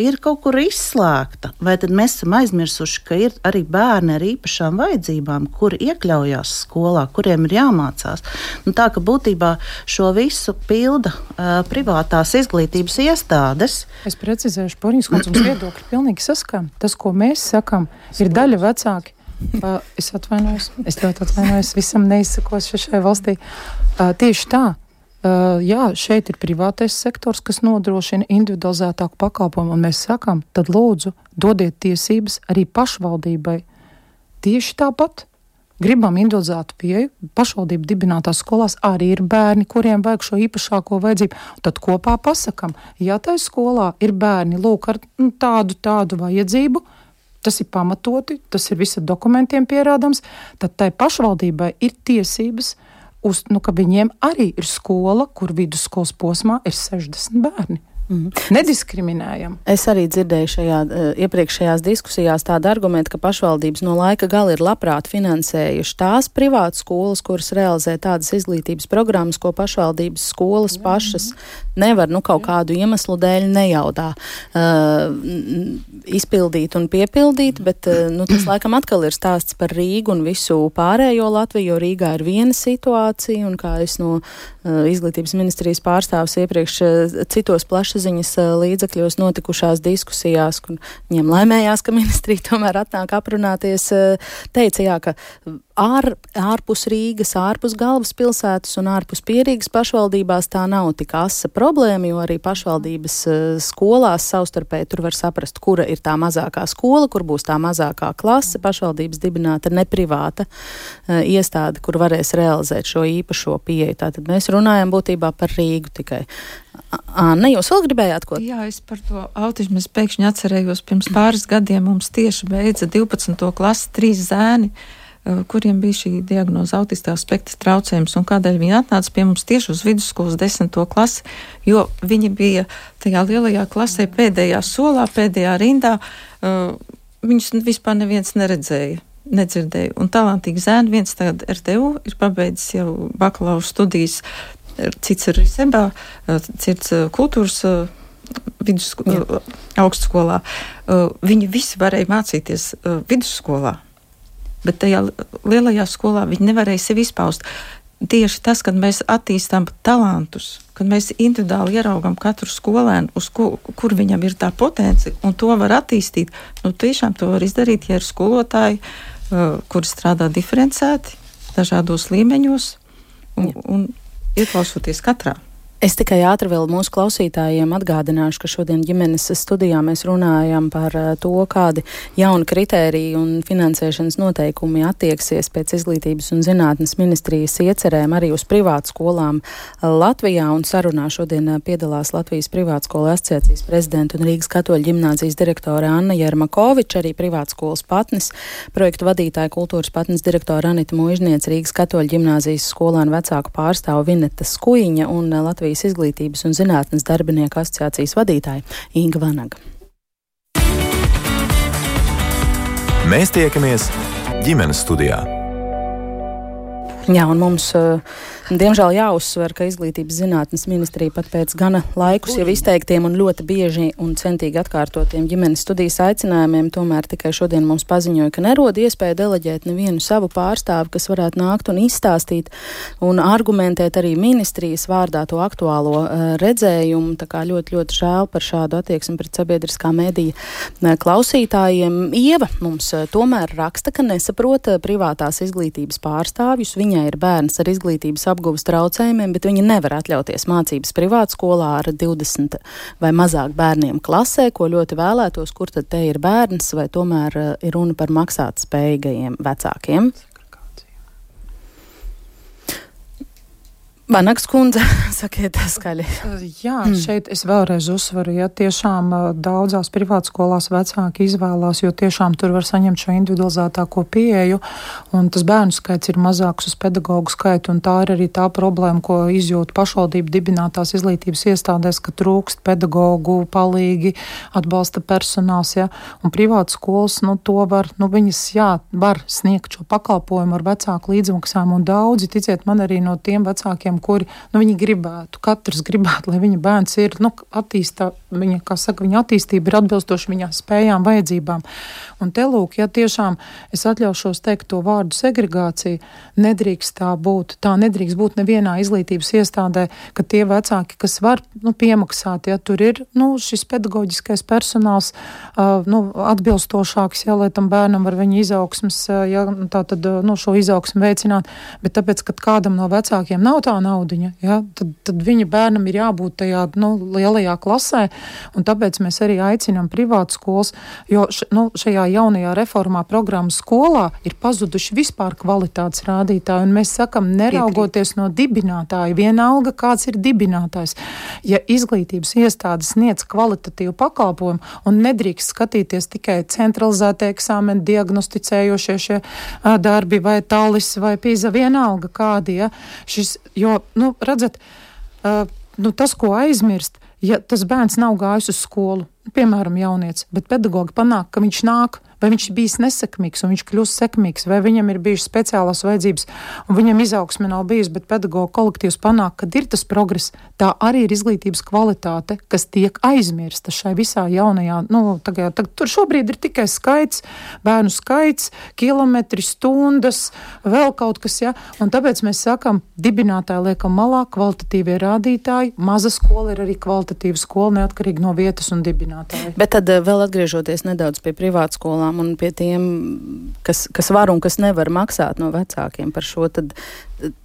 ir kaut kur izslēgta. Vai tad mēs esam aizmirsuši, ka ir arī bērni ar īpašām vajadzībām, kuri iekļaujās skolā, kuriem ir jāmācās. Tā ka būtībā šo visu pilda privātās izglītības iestādes. Es precizēšu, Porņas kundze, mums viedokļi pilnīgi saskan. Tas, ko mēs sakam, ir daļa vecāki. Es ļoti atvainojos, visam neizsakos šai valstī. Tieši tā. Jā, šeit ir privātais sektors, kas nodrošina individualizētāku pakalpojumu, un mēs sakam, tad lūdzu, dodiet tiesības arī pašvaldībai. Tieši tāpat. Gribam individualizētu pieeju, pašvaldību dibinātās skolās arī ir bērni, kuriem vajag šo īpašāko vajadzību. Tad kopā pasakam, ja tai skolā ir bērni, lūk, ar tādu vajadzību, tas ir pamatoti, tas ir visi dokumentiem pierādams, tad tai pašvaldībai ir tiesības, ka viņiem arī ir skola, kur vidusskolas posmā ir 60 bērni. Nediskriminējam. Es arī dzirdēju iepriekšējās diskusijās tādu argumentu, ka pašvaldības no laika gala ir labprāt finansējuši tās privātas skolas, kuras realizē tādas izglītības programmas, ko pašvaldības skolas pašas nevar kaut kādu iemeslu dēļ nejaudā izpildīt un piepildīt, bet tas laikam atkal ir stāsts par Rīgu un visu pārējo Latviju, jo Rīgā ir viena situācija, un kā es no izglītības ministrijas pārstāvs iepriekš citos plašsaziņas līdzekļos notikušās diskusijās, kur viņiem laimējās, ka ministrija tomēr atnāk aprunāties, teica, jā, ka ārpus Rīgas, ārpus galvaspilsētas un ārpus Pierīgas pašvaldībās tā nav tik asa problēma, jo arī pašvaldības skolās savstarpēji tur var saprast, kura ir tā mazākā skola, kur būs tā mazākā klase, pašvaldības dibināta neprivāta iestāde, kur varēs realizēt šo īpašo pieeju. Tātad mēs runājam būtībā par Rīgu tikai. Anna, jūs vēl gribējāt ko? Jā, es par to autismu pēkšņi atcerējos. Pirms pāris gadiem mums tieši beidza 12. klasi 3 zēni, kuriem bija šī diagnoze autiskā spektra traucējums, un kādēļ viņi atnāca pie mums tieši uz vidusskolas 10. klasi, jo viņi bija tajā lielajā klasē pēdējā solā, pēdējā rindā, viņus vispār neviens nedzirdēja. Un talantīgi zēni, viens tagad RTU ir pabeidzis jau bakalaura studijas, cits ir Sebā, cits kultūras augstskolā. Viņi visi varēja mācīties vidusskolā. Bet tajā lielajā skolā viņi nevarēja sevi izpaust. Tieši tas, kad mēs attīstām talantus, kad mēs individuāli ieraugam katru skolēnu, kur viņam ir tā potence, un to var attīstīt, tiešām to var izdarīt, ja ir skolotāji, kuri strādā diferencēti, dažādos līmeņos, un ieklausoties katrā. Es tikai ātri vēl mūsu klausītājiem atgādināšu, ka šodien ģimenes studijā mēs runājam par to, kādi jauni kritēriji un finansēšanas noteikumi attieksies pēc izglītības un zinātnes ministrijas iecerēm arī uz privātu skolām Latvijā, un sarunā šodien piedalās Latvijas privātskolu asociācijas prezidenta un Rīgas katoļu ģimnāzijas direktore Anna Jermakoviča, arī privātskolas patnis, projektu vadītāja kultūras patnis direktora Anita Muižniece, Rīgas katoļu ģimnāzijas skolēnu vecāku pārstāvu Vineta Skujiņa un Latvijas izglītības un zinātnes darbinieku asociācijas vadītāja Inga Vanaga. Mēs tiekamies ģimenes studijā. Jā, un mums, diemžēl, jāuzsver, ka Izglītības zinātnes ministrija pat pēc gana laikus jau izteiktiem un ļoti bieži un centīgi atkārtotiem ģimenes studijas aicinājumiem tomēr tikai šodien mums paziņoja, ka nerod iespēju deleģēt nevienu savu pārstāvi, kas varētu nākt un izstāstīt un argumentēt arī ministrijas vārdā to aktuālo redzējumu. Tā kā ļoti, ļoti žēl par šādu attieksmi pret sabiedriskā medija klausītājiem. Ieva mums tomēr raksta, ka nesaprot privātās izglītības pārstāvjus. Viņai ir bērns ar izglītības apguves traucējumiem, bet viņa nevar atļauties mācības privātskolā ar 20 vai mazāk bērniem klasē, ko ļoti vēlētos, kur tad te ir bērns, vai tomēr ir runa par maksāt spējīgajiem vecākiem. Vanagas kundze, sakiet skaļi. Jā, šeit es vēlreiz uzsveru, ja tiešām daudzās privātskolās vecāki izvēlās, jo tiešām tur var saņemt šo individualizētāko pieeju, un tas bērnu skaits ir mazāks uz pedagoģu skaitu, un tā ir arī tā problēma, ko izjūt pašvaldību dibinātās izglītības iestādēs, ka trūkst pedagoģu, palīgi, atbalsta personāls, ja, un privātskolas, to var, viņas, var sniegt šo pakalpojumu ar vecāku līdzmaksām, un daudzi, ticiet man, arī no tiem vecākiem, kuri, viņi gribētu, katrs gribētu, lai viņa bērns ir, viņa attīstība ir atbilstoši viņa spējām, vajadzībām. Un te lūk, ja tiešām es atļaušos teikt to vārdu segregācija, nedrīkst tā būt. Tā nedrīkst būt nevienā izglītības iestādē, ka tie vecāki, kas var, piemaksāt, ja tur ir, šis pedagoģiskais personāls, atbilstošāks, ja, lai tam bērnam var viņa izaugsmes, ja, tā tad, šo izaugsmu veicināt, bet tāpēc, kad kādam no vecākiem nav tā naudiņa, ja, tad viņa bērnam ir jābūt tajā lielajā klasē, un tāpēc mēs arī aicinām privātskolas, jo šajā jaunajā reformā programmas skolā ir pazuduši vispār kvalitātes rādītāji, un mēs sakam, neraugoties no dibinātāja, vienalga kāds ir dibinātājs. Ja izglītības iestādes sniedz kvalitatīvu pakalpojumu un nedrīkst skatīties tikai centralizētie eksāmeni, diagnosticējošie šie darbi vai talis vai pīza, vienalga kādi, ja, redzat, tas, ko aizmirst, ja tas bērns nav gājis uz skolu, piemēram, jaunietis, bet pedagogi panāk, ka viņš nāk, vai viņš ir bijis nesekmīgs un viņš kļūst sekmīgs, vai viņam ir bijušas speciālās vajadzības un viņam izaugsme nav bijusi, bet pedagogu kolektīvs panāk, kad ir tas progress, tā arī ir izglītības kvalitāte, kas tiek aizmirsta šai visā jaunajā, tagad tur šobrīd ir tikai skaits, bērnu skaits, kilometri, stundas, vēl kaut kas, ja, un tāpēc mēs sakam, dibinātāji liekam malā, kvalitatīvie rādītāji, maza skola ir arī kvalitatīva skola, neatkarīgi no vietas un dibinātāji. Bet tad vēl atgriežoties nedaudz pie privātskolām un pie tiem, kas var un kas nevar maksāt no vecākiem par šo, tad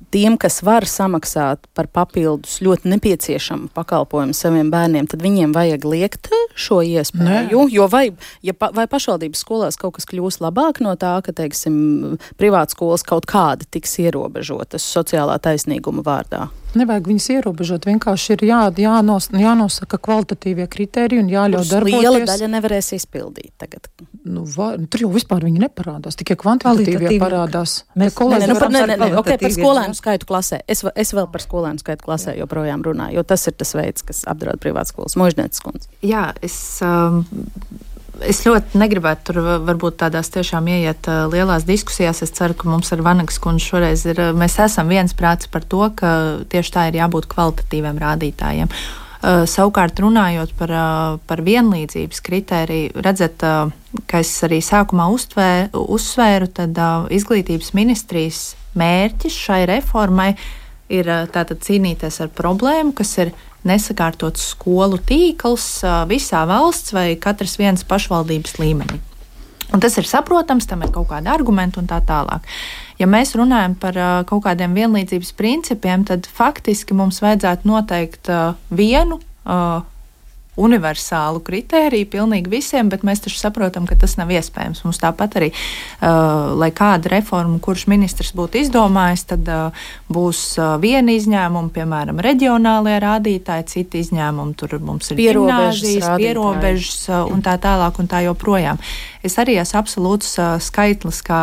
tiem, kas var samaksāt par papildus ļoti nepieciešamu pakalpojumu saviem bērniem, tad viņiem vajag liekt šo iespēju, jo vai pašvaldības skolās kaut kas kļūs labāk no tā, ka, teiksim, privātskolas kaut kāda tiks ierobežotas sociālā taisnīguma vārdā? Nevajag viņas ierobežot, vienkārši ir jānosaka kvalitatīvie kriteriji un jāļauj darboties. Liela daļa nevarēs izpildīt tagad. Tur jau vispār viņi neparādās, tikai kvantitatīvie parādās. Par skolēnu skaitu klasē. Es vēl par skolēnu skaitu klasē joprojām runāju, jo tas ir tas veids, kas apdraud privātskolas. Možņētas kundze. Jā, es ļoti negribētu tur varbūt tādās tiešām ieiet lielās diskusijās. Es ceru, ka mums ar Vanagas kundzi šoreiz mēs esam viensprāts par to, ka tieši tā ir jābūt kvalitatīviem rādītājiem. Savukārt runājot par vienlīdzības kritēriju, redzat, ka es arī sākumā uzsvēru, tad izglītības ministrijas mērķis šai reformai ir tātad cīnīties ar problēmu, kas ir nesakārtots skolu tīkls visā valsts vai katras vienas pašvaldības līmenī. Un tas ir saprotams, tam ir kaut kādi argumenti un tā tālāk. Ja mēs runājam par kaut kādiem vienlīdzības principiem, tad faktiski mums vajadzētu noteikt vienu universālu kritēriju pilnīgi visiem, bet mēs taču saprotam, ka tas nav iespējams. Mums tāpat arī, lai kāda reforma, kurš ministrs būtu izdomājis, tad būs viena izņēmuma, piemēram, reģionālie rādītāji, citi izņēmumi, tur mums ir gimnāzijas, pierobežas un tā tālāk un tā joprojām. es arī esmu absolūts skaitlis, kā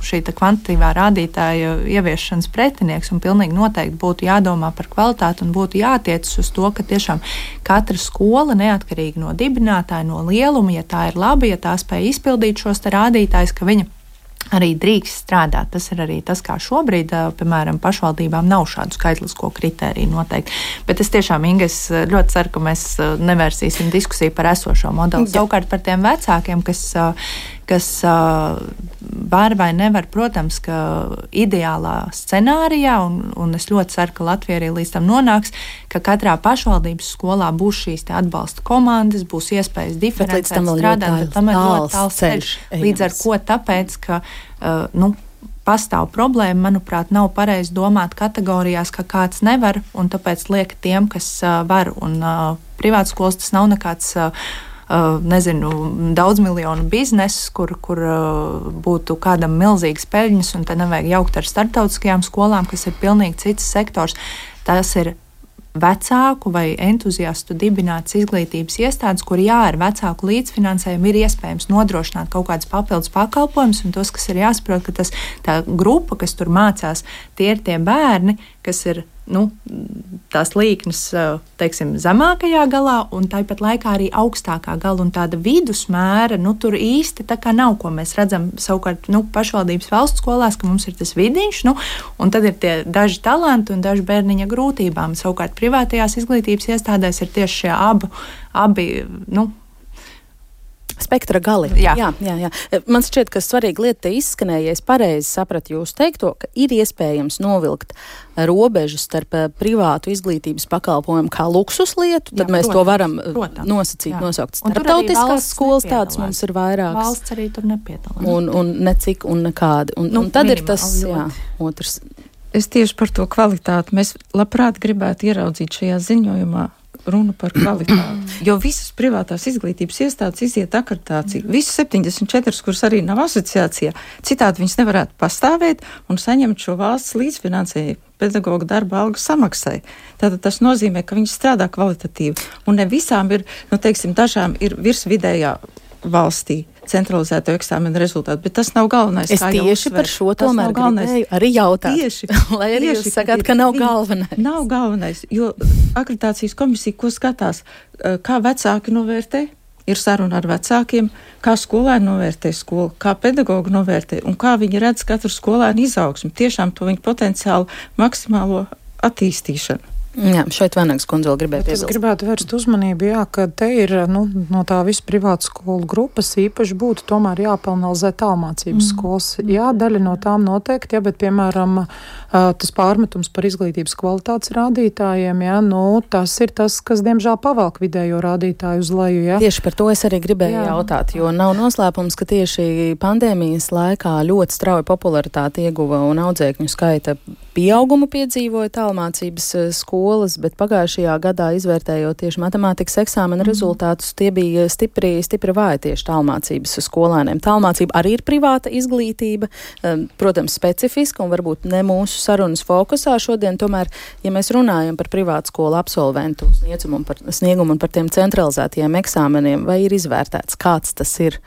šī kvantitīvā rādītāja ieviešanas pretinieks, un pilnīgi noteikti būtu jādomā par kvalitāti un būtu jātiecas uz to, ka tiešām katra skola, neatkarīgi no dibinātāja, no lieluma, ja tā ir laba, ja tā spēj izpildīt šos rādītājus, ka viņa arī drīkst strādāt. Tas ir arī tas, kā šobrīd, piemēram, pašvaldībām nav šādu skaitlisko kritēriju noteikti. Bet es tiešām, Inga, es ļoti ceru, ka mēs nevērsīsim diskusiju par esošo modeli. Savukārt par tiem vecākiem, kas var vai nevar, protams, ka ideālā scenārijā, un es ļoti ceru, ka Latvija arī līdz tam nonāks, ka katrā pašvaldības skolā būs šīs atbalsta komandas, būs iespējas diferencēt, strādāt, bet tam ir ļoti tāls ceļš. Līdz ar ko tāpēc, ka pastāv problēma, manuprāt, nav pareizi domāt kategorijās, ka kāds nevar, un tāpēc liek tiem, kas var, un privātskolas tas nav nekāds daudz miljonu biznesu, kur būtu kādam milzīgas peļņas, un te nevajag jaukt ar starptautiskajām skolām, kas ir pilnīgi cits sektors. Tas ir vecāku vai entuziastu dibinātas izglītības iestādes, kur ar vecāku līdzfinansējumu ir iespējams nodrošināt kaut kādas papildus pakalpojumus, un tos, kas ir jāsaprot, ka tā grupa, kas tur mācās, tie ir tie bērni, kas ir tās līknes, teiksim, zemākajā galā, un tāpat laikā arī augstākā gala, un tāda vidusmēra, tur īsti tā kā nav, ko mēs redzam savukārt, pašvaldības valsts skolās, ka mums ir tas vidiņš, un tad ir tie daži talanti un daži bērniņa grūtībām. Savukārt privātajās izglītības iestādēs ir tieši šie abi spektra gali. Jā. Man šķiet, ka svarīga lieta izskanēja, ja es pareizi sapratu jūsu teikto, ka ir iespējams novilkt robežu starp privātu izglītības pakalpojumu kā luksuslietu, tad mēs to varam nosaukt. Starptautiskās skolas tādas mums ir vairākas. Valsts arī tur nepiedalās. Un necik un nekādi. Un tad ir tas, otrs. Es tieši par to kvalitāti. Mēs labprāt gribētu ieraudzīt šajā ziņojumā runa par kvalitāti. Jo visas privātās izglītības iestādes iziet akreditāciju. Visas 74, kuras arī nav asociācijā, citādi viņas nevarētu pastāvēt un saņemt šo valsts līdzfinansējumu pedagoģa darba algu samaksai. Tātad tas nozīmē, ka viņi strādā kvalitatīvi. Un ne visām ir, dažām ir virsvidējā valstī centralizēto eksāmenu rezultātu, bet tas nav galvenais. Es tieši par šo tomēr gribēju arī jautāt. Lai arī jūs sakāt, ka nav galvenais. Nav galvenais, jo akreditācijas komisija, ko skatās, kā vecāki novērtē, ir saruna ar vecākiem, kā skolēni novērtē skolu, kā pedagogi novērtē un kā viņi redz katru skolēnu izaugsmu, tiešām to viņu potenciālu maksimālo attīstīšanu. Jā, šeit Vanagas kundze vēl gribēja piebilst. Es gribētu vērst uzmanību, ka te ir no tā visu privātu skolu grupas īpaši būtu tomēr jāpanalizē tālmācības skolas. Jā, daļa no tām noteikti, bet, piemēram, tas pārmetums par izglītības kvalitātes rādītājiem, tas ir tas, kas, diemžēl, pavelk vidējo rādītāju uz leju. Jā. Tieši par to es arī gribēju jautāt, jo nav noslēpums, ka tieši pandēmijas laikā ļoti strauji popularitāti ieguva un audzēkņu skaita pieaugumu piedzīvoja tālmācības skolas, bet pagājušajā gadā izvērtējot tieši matemātikas eksāmena rezultātus, tie bija stipri vāji tieši tālmācības skolēniem. Tālmācība arī ir privāta izglītība, protams, specifiska un varbūt ne mūsu sarunas fokusā šodien, tomēr, ja mēs runājam par privātu skolu absolventu sniegumu un par tiem centralizētajiem eksāmeniem, vai ir izvērtēts, kāds tas ir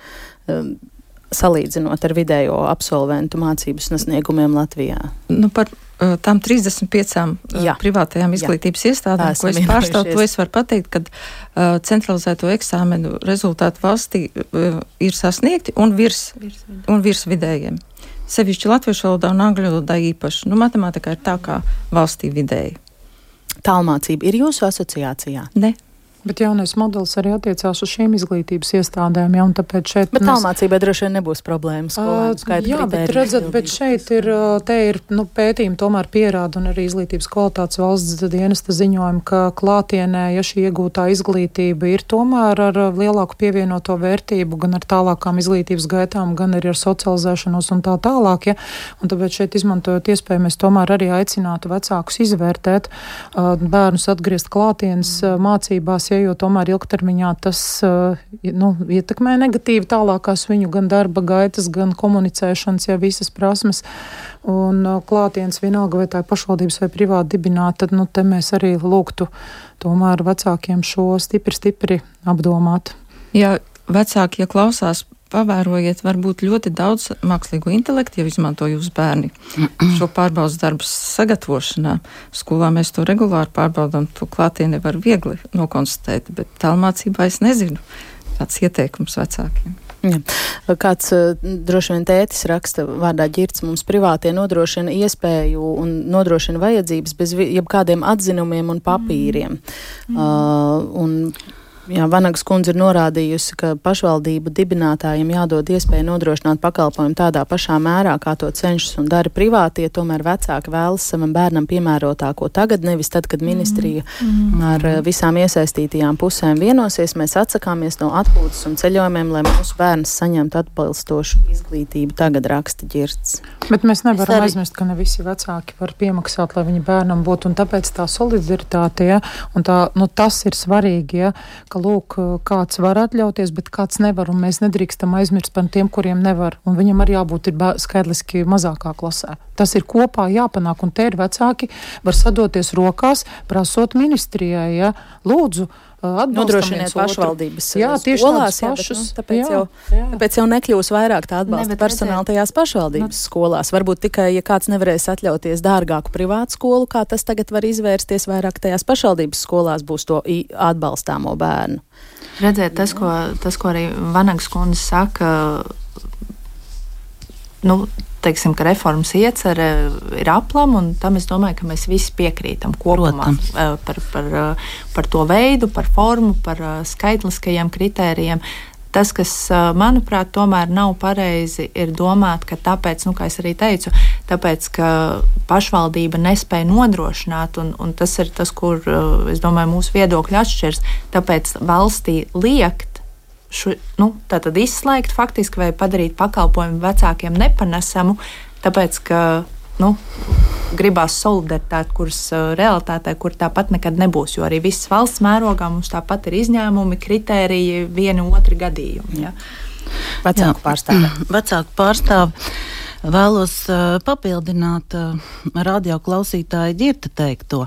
salīdzinot ar vidējo absolventu mācības sasniegumiem Latvijā? Par tām 35 privātajām izglītības iestādēm, ko es pārstāvu, to es varu pateikt, ka centralizēto eksāmenu rezultātu valstī ir sasniegti un virs vidējiem. Sevišķi latviešu valodā un angļu valodā īpaši. Matemātikā ir tā kā valstī vidēji. Tālmācība ir jūsu asociācijā? Ne. Bet jaunais modelis arī attiecās uz šīm izglītības iestādēm, un tāpēc šeit... Bet tālmācībai droši vien nebūs problēmas. Bet šeit ir pētījumi tomēr pierāda, un arī izglītības kvalitātes valsts dienesta ziņojumi, ka klātienē, ja šī iegūtā izglītība ir tomēr ar lielāku pievienoto vērtību, gan ar tālākām izglītības gaitām, gan arī ar socializēšanos un tā tālāk, un tāpēc šeit izmantojot iespēju, mēs tomēr arī aicinātu vecākus izvērtēt, bērnus atgriezt klātienes mācībās, jo tomēr ilgtermiņā tas ietekmē negatīvi tālākās viņu gan darba gaitas, gan komunicēšanas, visas prasmes. Un klātienes vienalga, vai tā ir pašvaldības vai privāti dibināta, tad te mēs arī lūgtu tomēr vecākiem šo stipri apdomāt. Jā, vecāki, ja klausās pavērojiet, varbūt ļoti daudz mākslīgo intelektu jau izmanto jūsu bērni šo pārbaudas darbu sagatavošanā. Skolā mēs to regulāri pārbaudām, to klātienē var viegli nokonstatēt, bet tālmācībā es nezinu. Tāds ieteikums vecākiem. Ja. Kāds droši vien tētis raksta vārdā Ģirts, mums privātie nodrošina iespēju un nodrošina vajadzības bez jebkādiem atzinumiem un papīriem. Vanagas kundze ir norādījusi, ka pašvaldību dibinātājiem jādod iespēju nodrošināt pakalpojumu tādā pašā mērā, kā to cenšas un dara privātie, tomēr vecāki vēlas savam bērnam piemērotāko tagad, nevis tad, kad ministrija ar visām iesaistītajām pusēm vienosies. Mēs atsakāmies no atpūtas un ceļojumiem, lai mūsu bērns saņemtu atbilstošu izglītību, tagad raksta Ģirts. Bet mēs nevaram aizmirst, ka ne visi vecāki var piemaksāt, lai viņa bērnam būtu, un tāpēc tā solidaritāte, un tas ir svarīgi, ka lūk, kāds var atļauties, bet kāds nevar, un mēs nedrīkstam aizmirst par tiem, kuriem nevar, un viņam arī jābūt skaidriski mazākā klasē. Tas ir kopā jāpanāk, un te ir vecāki var sadoties rokās, prasot ministrijai, lūdzu, nodrošiniet pašvaldības skolās, tāpēc jau nekļūs vairāk tā atbalsta personāla tajās pašvaldības skolās. Varbūt tikai, ja kāds nevarēs atļauties dārgāku privātu skolu, kā tas tagad var izvērsties, vairāk tajās pašvaldības skolās būs to atbalstāmo bērnu. Redzēt, tas, ko arī Vanagas kundze saka, teiksim, ka reformas iecerē ir aplama, un tam es domāju, ka mēs visi piekrītam kopumā par to veidu, par formu, par skaitliskajiem kritērijiem. Tas, kas, manuprāt, tomēr nav pareizi, ir domāt, ka tāpēc, kā es arī teicu, tāpēc, ka pašvaldība nespēja nodrošināt, un tas ir tas, kur, es domāju, mūsu viedokļi atšķirs, tāpēc valstī liekt, tātad izslēgt faktiski vai padarīt pakalpojumu vecākiem nepanesamu, tāpēc, ka gribās solidaritāti, kuras realitātē, kur tāpat nekad nebūs, jo arī viss valsts mērogā mums tāpat ir izņēmumi, kritēriji, vieni otri gadījumi. Ja? Vecāku pārstāvi. Vēlos papildināt radioklausītāja Ģirta teikto,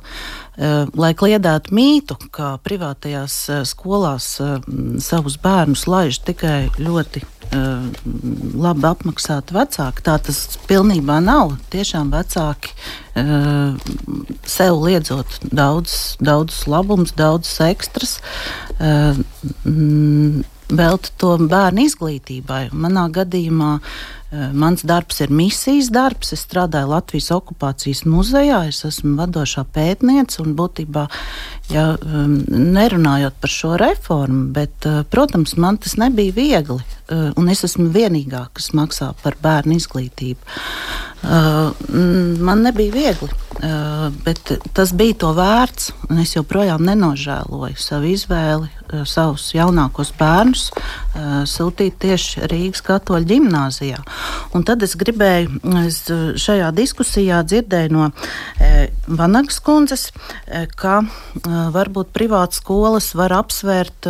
lai kliedētu mītu, ka privātajās skolās savus bērnus laiž tikai ļoti labi apmaksāti vecāki. Tā tas pilnībā nav. Tiešām vecāki sev liedzot daudz labums, daudz ekstras, veltu to bērnu izglītībai. Manā gadījumā mans darbs ir misijas darbs. Es strādāju Latvijas okupācijas muzejā, es esmu vadošā pētniece un būtībā, nerunājot par šo reformu, bet, protams, man tas nebija viegli, un es esmu vienīgā, kas maksā par bērnu izglītību. Man nebija viegli, bet tas bija to vērts, un es joprojām nenožēloju savu izvēli, savus jaunākos bērnus sūtīt tieši Rīgas katoļu ģimnāzijā. Un tad es gribēju šajā diskusijā dzirdēju no Vanagas kundzes, ka varbūt privātas skolas var apsvērt,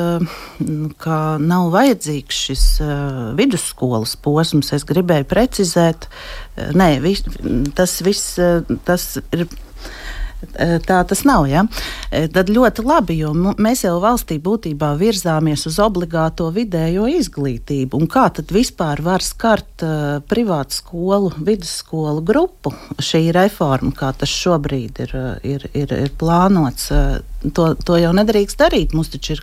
ka nav vajadzīgs šis vidusskolas posms. Es gribēju precizēt, tas ir. Tā tas nav, ja? Tad ļoti labi, jo mēs jau valstī būtībā virzāmies uz obligāto vidējo izglītību. Un kā tad vispār var skart privātu skolu, vidusskolu grupu šī reforma, kā tas šobrīd ir plānots? To jau nedrīkst darīt. Mums taču ir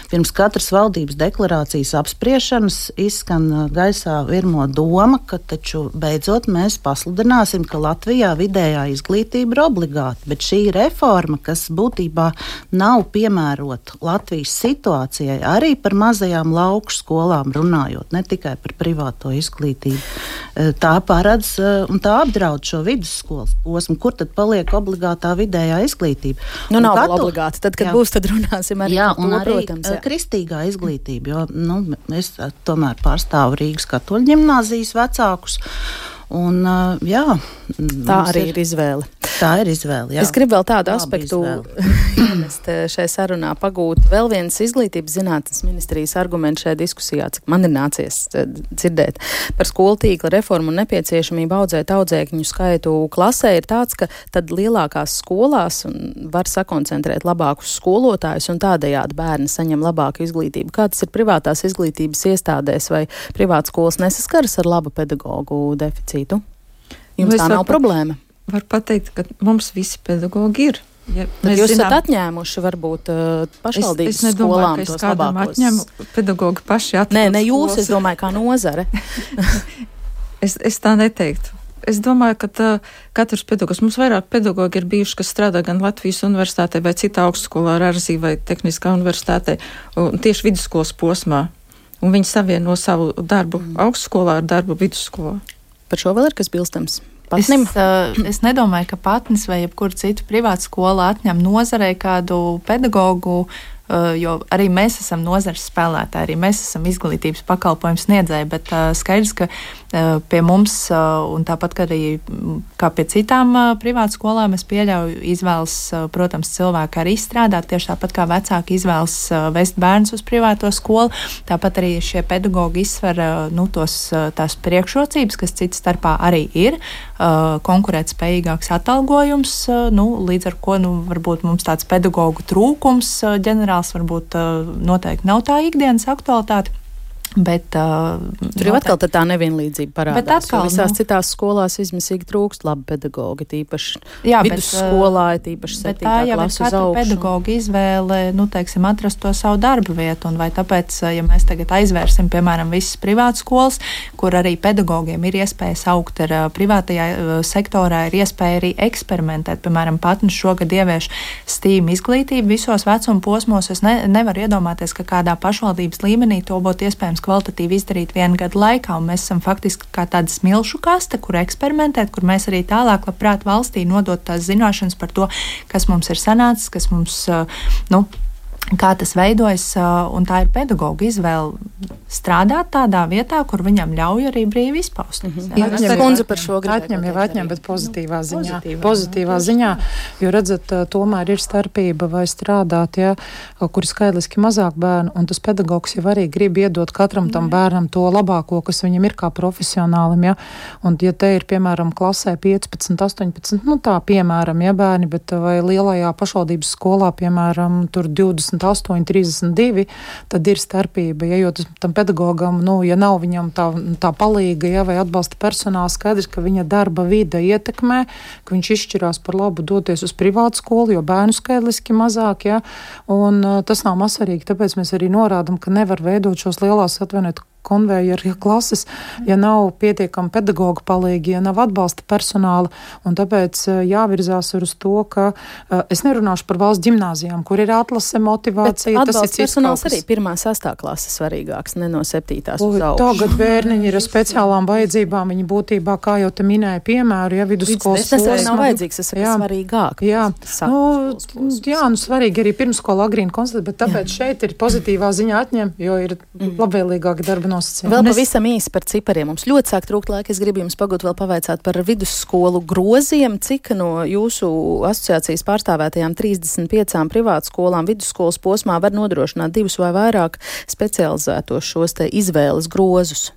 pirms katras valdības deklarācijas apspriešanas izskan gaisā virmo doma, ka taču beidzot mēs pasludināsim, ka Latvijā vidējā izglītība ir obligāta, bet šī reforma, kas būtībā nav piemērota Latvijas situācijai, arī par mazajām lauku skolām runājot, ne tikai par privāto izglītību, tā paredz un tā apdraud šo vidusskolas posmu, kur tad paliek obligātā vidējā izglītība. Nav obligāti, tad, kad būs, tad runāsim arī par to, protams. Kristīgā izglītība, jo es tomēr pārstāvu Rīgas katoļu ģimnāzijas vecākus. Un, tā arī ir izvēle. Tā ir izvēle, jā. Es gribu vēl tādu aspektu ienest šai sarunā, pagūt vēl viens izglītības zinātnes ministrijas arguments šajā diskusijā, cik man ir nācies dzirdēt par skolu tīkla reformu un nepieciešamību audzēt audzēkņu skaitu klasē, ir tāds, ka tad lielākās skolās var sakoncentrēt labākus skolotājus un tādējādi bērni saņem labāku izglītību. Kā tas ir privātās izglītības iestādēs vai privātas skolas nesaskaras ar labu pedagogu deficītu? Jums tā nav problēma? Var pateikt, ka mums visi pedagogi ir. Ja jūs esat atņēmuši varbūt pašvaldības skolām tos labākos? Es kādam atņemu, pedagogi paši atņem. Nē, jūs, es domāju, kā nozare. es tā neteiktu. Es domāju, ka katrs pedagogs, mums vairāk pedagogi ir bijuši, kas strādā gan Latvijas universitātē vai citā augstskolā, Rāzī vai Tehniskā universitātē, tieši vidusskolas posmā. Un viņi savieno savu darbu augstskolā ar darbu vidusskolā. Par šo vēl ir kas bilstams? Es nedomāju, ka Patnis vai jebkura cita privāta skola atņem nozarei kādu pedagogu, jo arī mēs esam nozares spēlētāji, arī mēs esam izglītības pakalpojumu sniedzēji, bet skaidrs, ka pie mums, un tāpat kā arī kā pie citām privātu skolām, es pieļauju izvēles, protams, cilvēki arī strādāt, tieši tāpat kā vecāki izvēles vest bērnus uz privāto skolu, tāpat arī šie pedagogi izsver tās priekšrocības, kas cits starpā arī ir, konkurētspējīgāks atalgojums, līdz ar ko varbūt mums tāds pedagogu trūkums ģenerāls varbūt noteikti nav tā ikdienas aktualitāte. Bet tur jau atkal tā nevienlīdzība parādās. Atkal, visās citās skolās izmisīgi trūkst labi pedagogi, tīpaši vidusskolā, tīpaši 7. klases uz augšu. Bet tā jau ir katra pedagoga izvēle, atrast to savu darba vietu. Un vai tāpēc, ja mēs tagad aizvērsim, piemēram, visas privātas skolas, kur arī pedagogiem ir iespējas augt ar privātajā sektorā, ir iespēja arī eksperimentēt. Piemēram, Patnis šogad ievieš STEAM izglītību visos vecuma posmos. Es nevaru iedomāties, ka kādā pašvaldības līmenī to būtu iespējams kvalitatīvi izdarīt vienu gadu laikā, un mēs esam faktiski kā tāda smilšu kaste, kur eksperimentēt, kur mēs arī tālāk labprāt valstī nodot tās zināšanas par to, kas mums ir sanācis, kas mums, kā tas veidojas, un tā ir pedagoga izvēle strādāt tādā vietā, kur viņam ļauj arī brīvi izpausties. Atņem, bet pozitīvā ziņā. Pozitīvā ziņā, jo redzat, tomēr ir starpība vai strādāt, kur ir skaitliski mazāk bērnu, un tas pedagogs jau arī grib iedot katram tam bērnam to labāko, kas viņam ir kā profesionālim, un ja te ir, piemēram, klasē 15, 18, tā, piemēram, bērni, bet vai lielajā pašvaldības skolā, piemēram, tur 28, 32, tad ir starpība, jo tam pedagogam, ja nav viņam tā palīga, vai atbalsta personāls, skaidrs, ka viņa darba vide ietekmē, ka viņš izšķirās par labu doties uz privātu skolu, jo bērnu skaitliski mazāk, un tas nav mazsvarīgi, tāpēc mēs arī norādam, ka nevar veidot šos lielās konvejeru klases, ja nav pietiekami pedagoga palīgi, ja nav atbalsta personāla, un tāpēc jāvirzās uz to, ka es nerunāšu par valsts ģimnāzijām, kur ir atlase, motivācija. Bet atbalsta personāls arī 1.–6. klases svarīgāks, ne no 7. uz augšu. Tagad bērniņi ir ar speciālām vajadzībām, viņi būtībā, kā jau te minēja piemēru, vidusskolas. Tas arī nav vajadzīgs, tas ir svarīgāk. Svarīgi arī pirmskola agrīni konstatēt, bet tāpēc šeit ir pozitīvā ziņa atņem, jo ir labvēlīgāki darba nosacījumi. Vēl pavisam īsi par cipariem. Mums ļoti sāk trūkt laika. Es gribu jums pagūt vēl pavaicāt par vidusskolu groziem. Cik no jūsu asociācijas pārstāvētajām 35 privātu skolām vidusskolas posmā var nodrošināt 2 vai vairāk specializētos šos te izvēles grozus?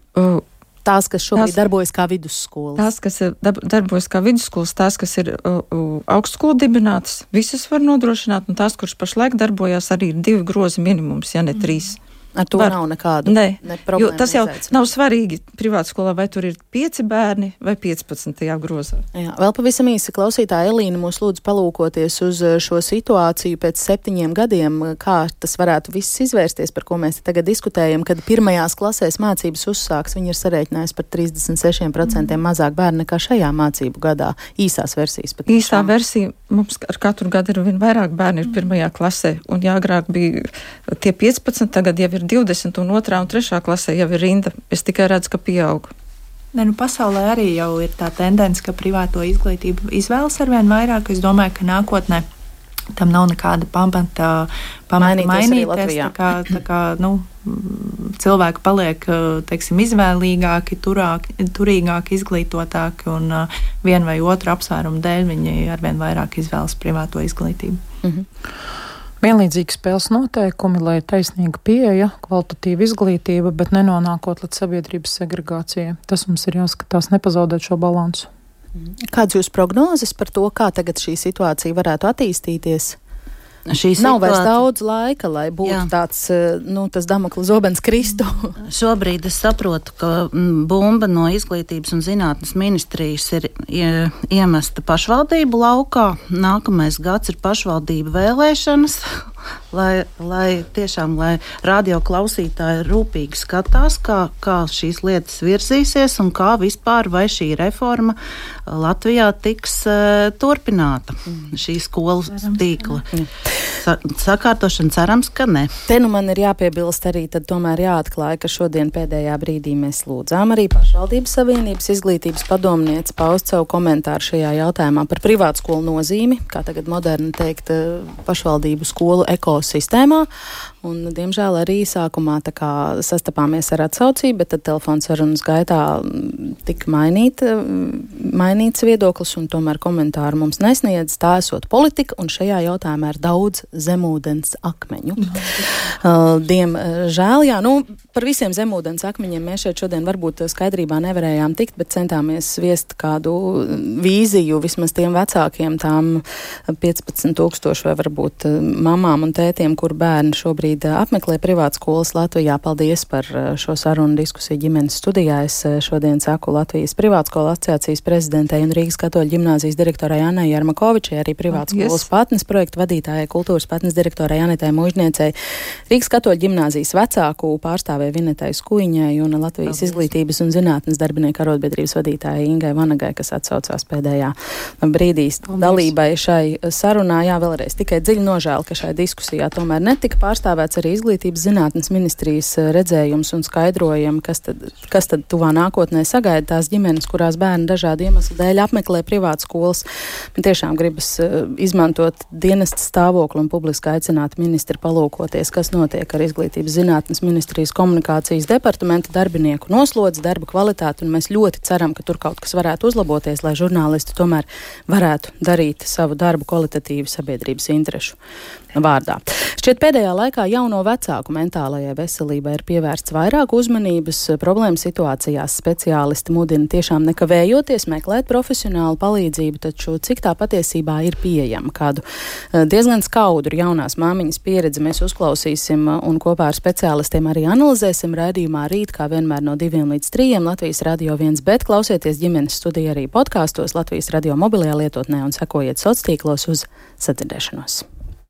Tās, kas šobrīd darbojas kā vidusskolas. Tās, kas darbojas kā vidusskolas, tās, kas ir augstskolu dibinātas, visas var nodrošināt, un tās, kuras pašlaik darbojās, arī ir 2 grozi minimums, ja ne 3. Ar to nav nekādu problēmu. Jo tas jau nav svarīgi privātu skolā, vai tur ir 5 bērni vai 15. grozā. Jā, vēl pavisam īsi klausītāja Elīna mūs lūdzu palūkoties uz šo situāciju pēc 7 gadiem, kā tas varētu viss izvērsties, par ko mēs tagad diskutējam, kad pirmajās klasēs mācības uzsāks, viņi ir sarēķinājis par 36% mazāk bērni nekā šajā mācību gadā. Īsās versijas. Īsā versija mums ar katru gadu ir vien vairāk bērni ir pirmajā klasē, un agrāk bija tie 15, tagad jau ir 20, un 2. un 3. klasē jau ir rinda. Es tikai redzu, ka pieaug. Pasaulē arī jau ir tā tendence, ka privāto izglītību izvēlas arvien vairāk. Es domāju, ka nākotnē tam nav nekāda pamata mainīties. Tā kā, cilvēki paliek, teiksim, izvēlīgāki, turīgāki, izglītotāki, un vienu vai otru apsvērumu dēļ viņi arvien vairāk izvēlas privāto izglītību. Vienlīdzīgi spēles noteikumi, lai taisnīga pieeja, kvalitatīva izglītība, bet nenonākot līdz sabiedrības segregācijai. Tas mums ir jāskatās, nepazaudēt šo balansu. Kāds jūs prognozes par to, kā tagad šī situācija varētu attīstīties? Nav vairs daudz laika, lai būtu tāds, tas Damokla zobens kristu. Šobrīd es saprotu, ka bumba no izglītības un zinātnes ministrijas ir iemesta pašvaldību laukā. Nākamais gads ir pašvaldību vēlēšanas, lai tiešām radio klausītāji rūpīgi skatās, kā šīs lietas virzīsies un kā vispār vai šī reforma Latvijā tiks turpināta, šī skolu tīkla. Sakārtošana cerams, ka ne. Te man ir jāpiebilst arī, tad tomēr jāatklāja, ka šodien pēdējā brīdī mēs lūdzām arī pašvaldības savienības izglītības padomnieci paust savu komentāru šajā jautājumā par privātskolu nozīmi, kā tagad moderni teikt, pašvaldību skolu ekosistēmā. Un, diemžēl, arī sākumā sastapāmies ar atsaucību, bet tad telefons sarunas gaitā tika mainīts viedoklis, un tomēr komentāru mums nesniedz. Tā esot politika, un šajā jautājumā ir daudz zemūdens akmeņu. Diemžēl, par visiem zemūdens akmeņiem mēs šeit šodien varbūt skaidrībā nevarējām tikt, bet centāmies viest kādu vīziju vismaz tiem vecākiem, tām 15,000 vai varbūt mamām un tētiem, kur bērni šobrīd apmeklē privātskolas Latvijā. Paldies par šo sarunu diskusiju ģimenes studijā. Es šodien saku Latvijas privātskolu asociācijas prezidentei un Rīgas Katoļu ģimnāzijas direktorai Annai Jarmakovičai, arī privātskolas patnes projektu vadītājai, kultūras patnes direktorai Anitai Mužniecei, Rīgas Katoļu ģimnāzijas vecāku pārstāvē Vinetai Skuiņai un Latvijas izglītības un zinātnes darbinieku arotbiedrības vadītājai Ingai Vanagai, kas atsaucās pēdējā brīdī dalībai šai sarunā. Jā, vēlreiz tikai dziļi nožēl, ka šai diskusijā tomēr netika pārstāvēts arī izglītības zinātnes ministrijas redzējums un skaidrojumi, kas tad tuvā nākotnē sagaida tās ģimenes, kurās bērni dažādu iemeslu dēļ apmeklē privātskolas. Man tiešām gribas izmantot dienesta stāvokli un publiski aicināt ministri palūkoties, kas notiek ar izglītības zinātnes ministrijas komunikācijas departamenta darbinieku noslodzi, darba kvalitāti, un mēs ļoti ceram, ka tur kaut kas varētu uzlaboties, lai žurnālisti tomēr varētu darīt savu darbu kvalitatīvi sabiedrības interešu vārdā. Šķiet, pēdējā laikā jauno vecāku mentālajai veselībai ir pievērsts vairāk uzmanības. Problēmu situācijās speciālisti mudina tiešām nekavējoties meklēt profesionālu palīdzību, taču cik tā patiesībā ir pieejama. Kādu diezgan skaudru jaunās māmiņas pieredzi mēs uzklausīsim un kopā ar speciālistiem arī analizēsim raidījumā rīt, kā vienmēr no 2 līdz 3 Latvijas Radio 1, bet klausieties ģimenes studiju arī podkāstos Latvijas Radio mobilajā lietotnē un sekojiet sociālos tīklos uz sadzirdēšanos.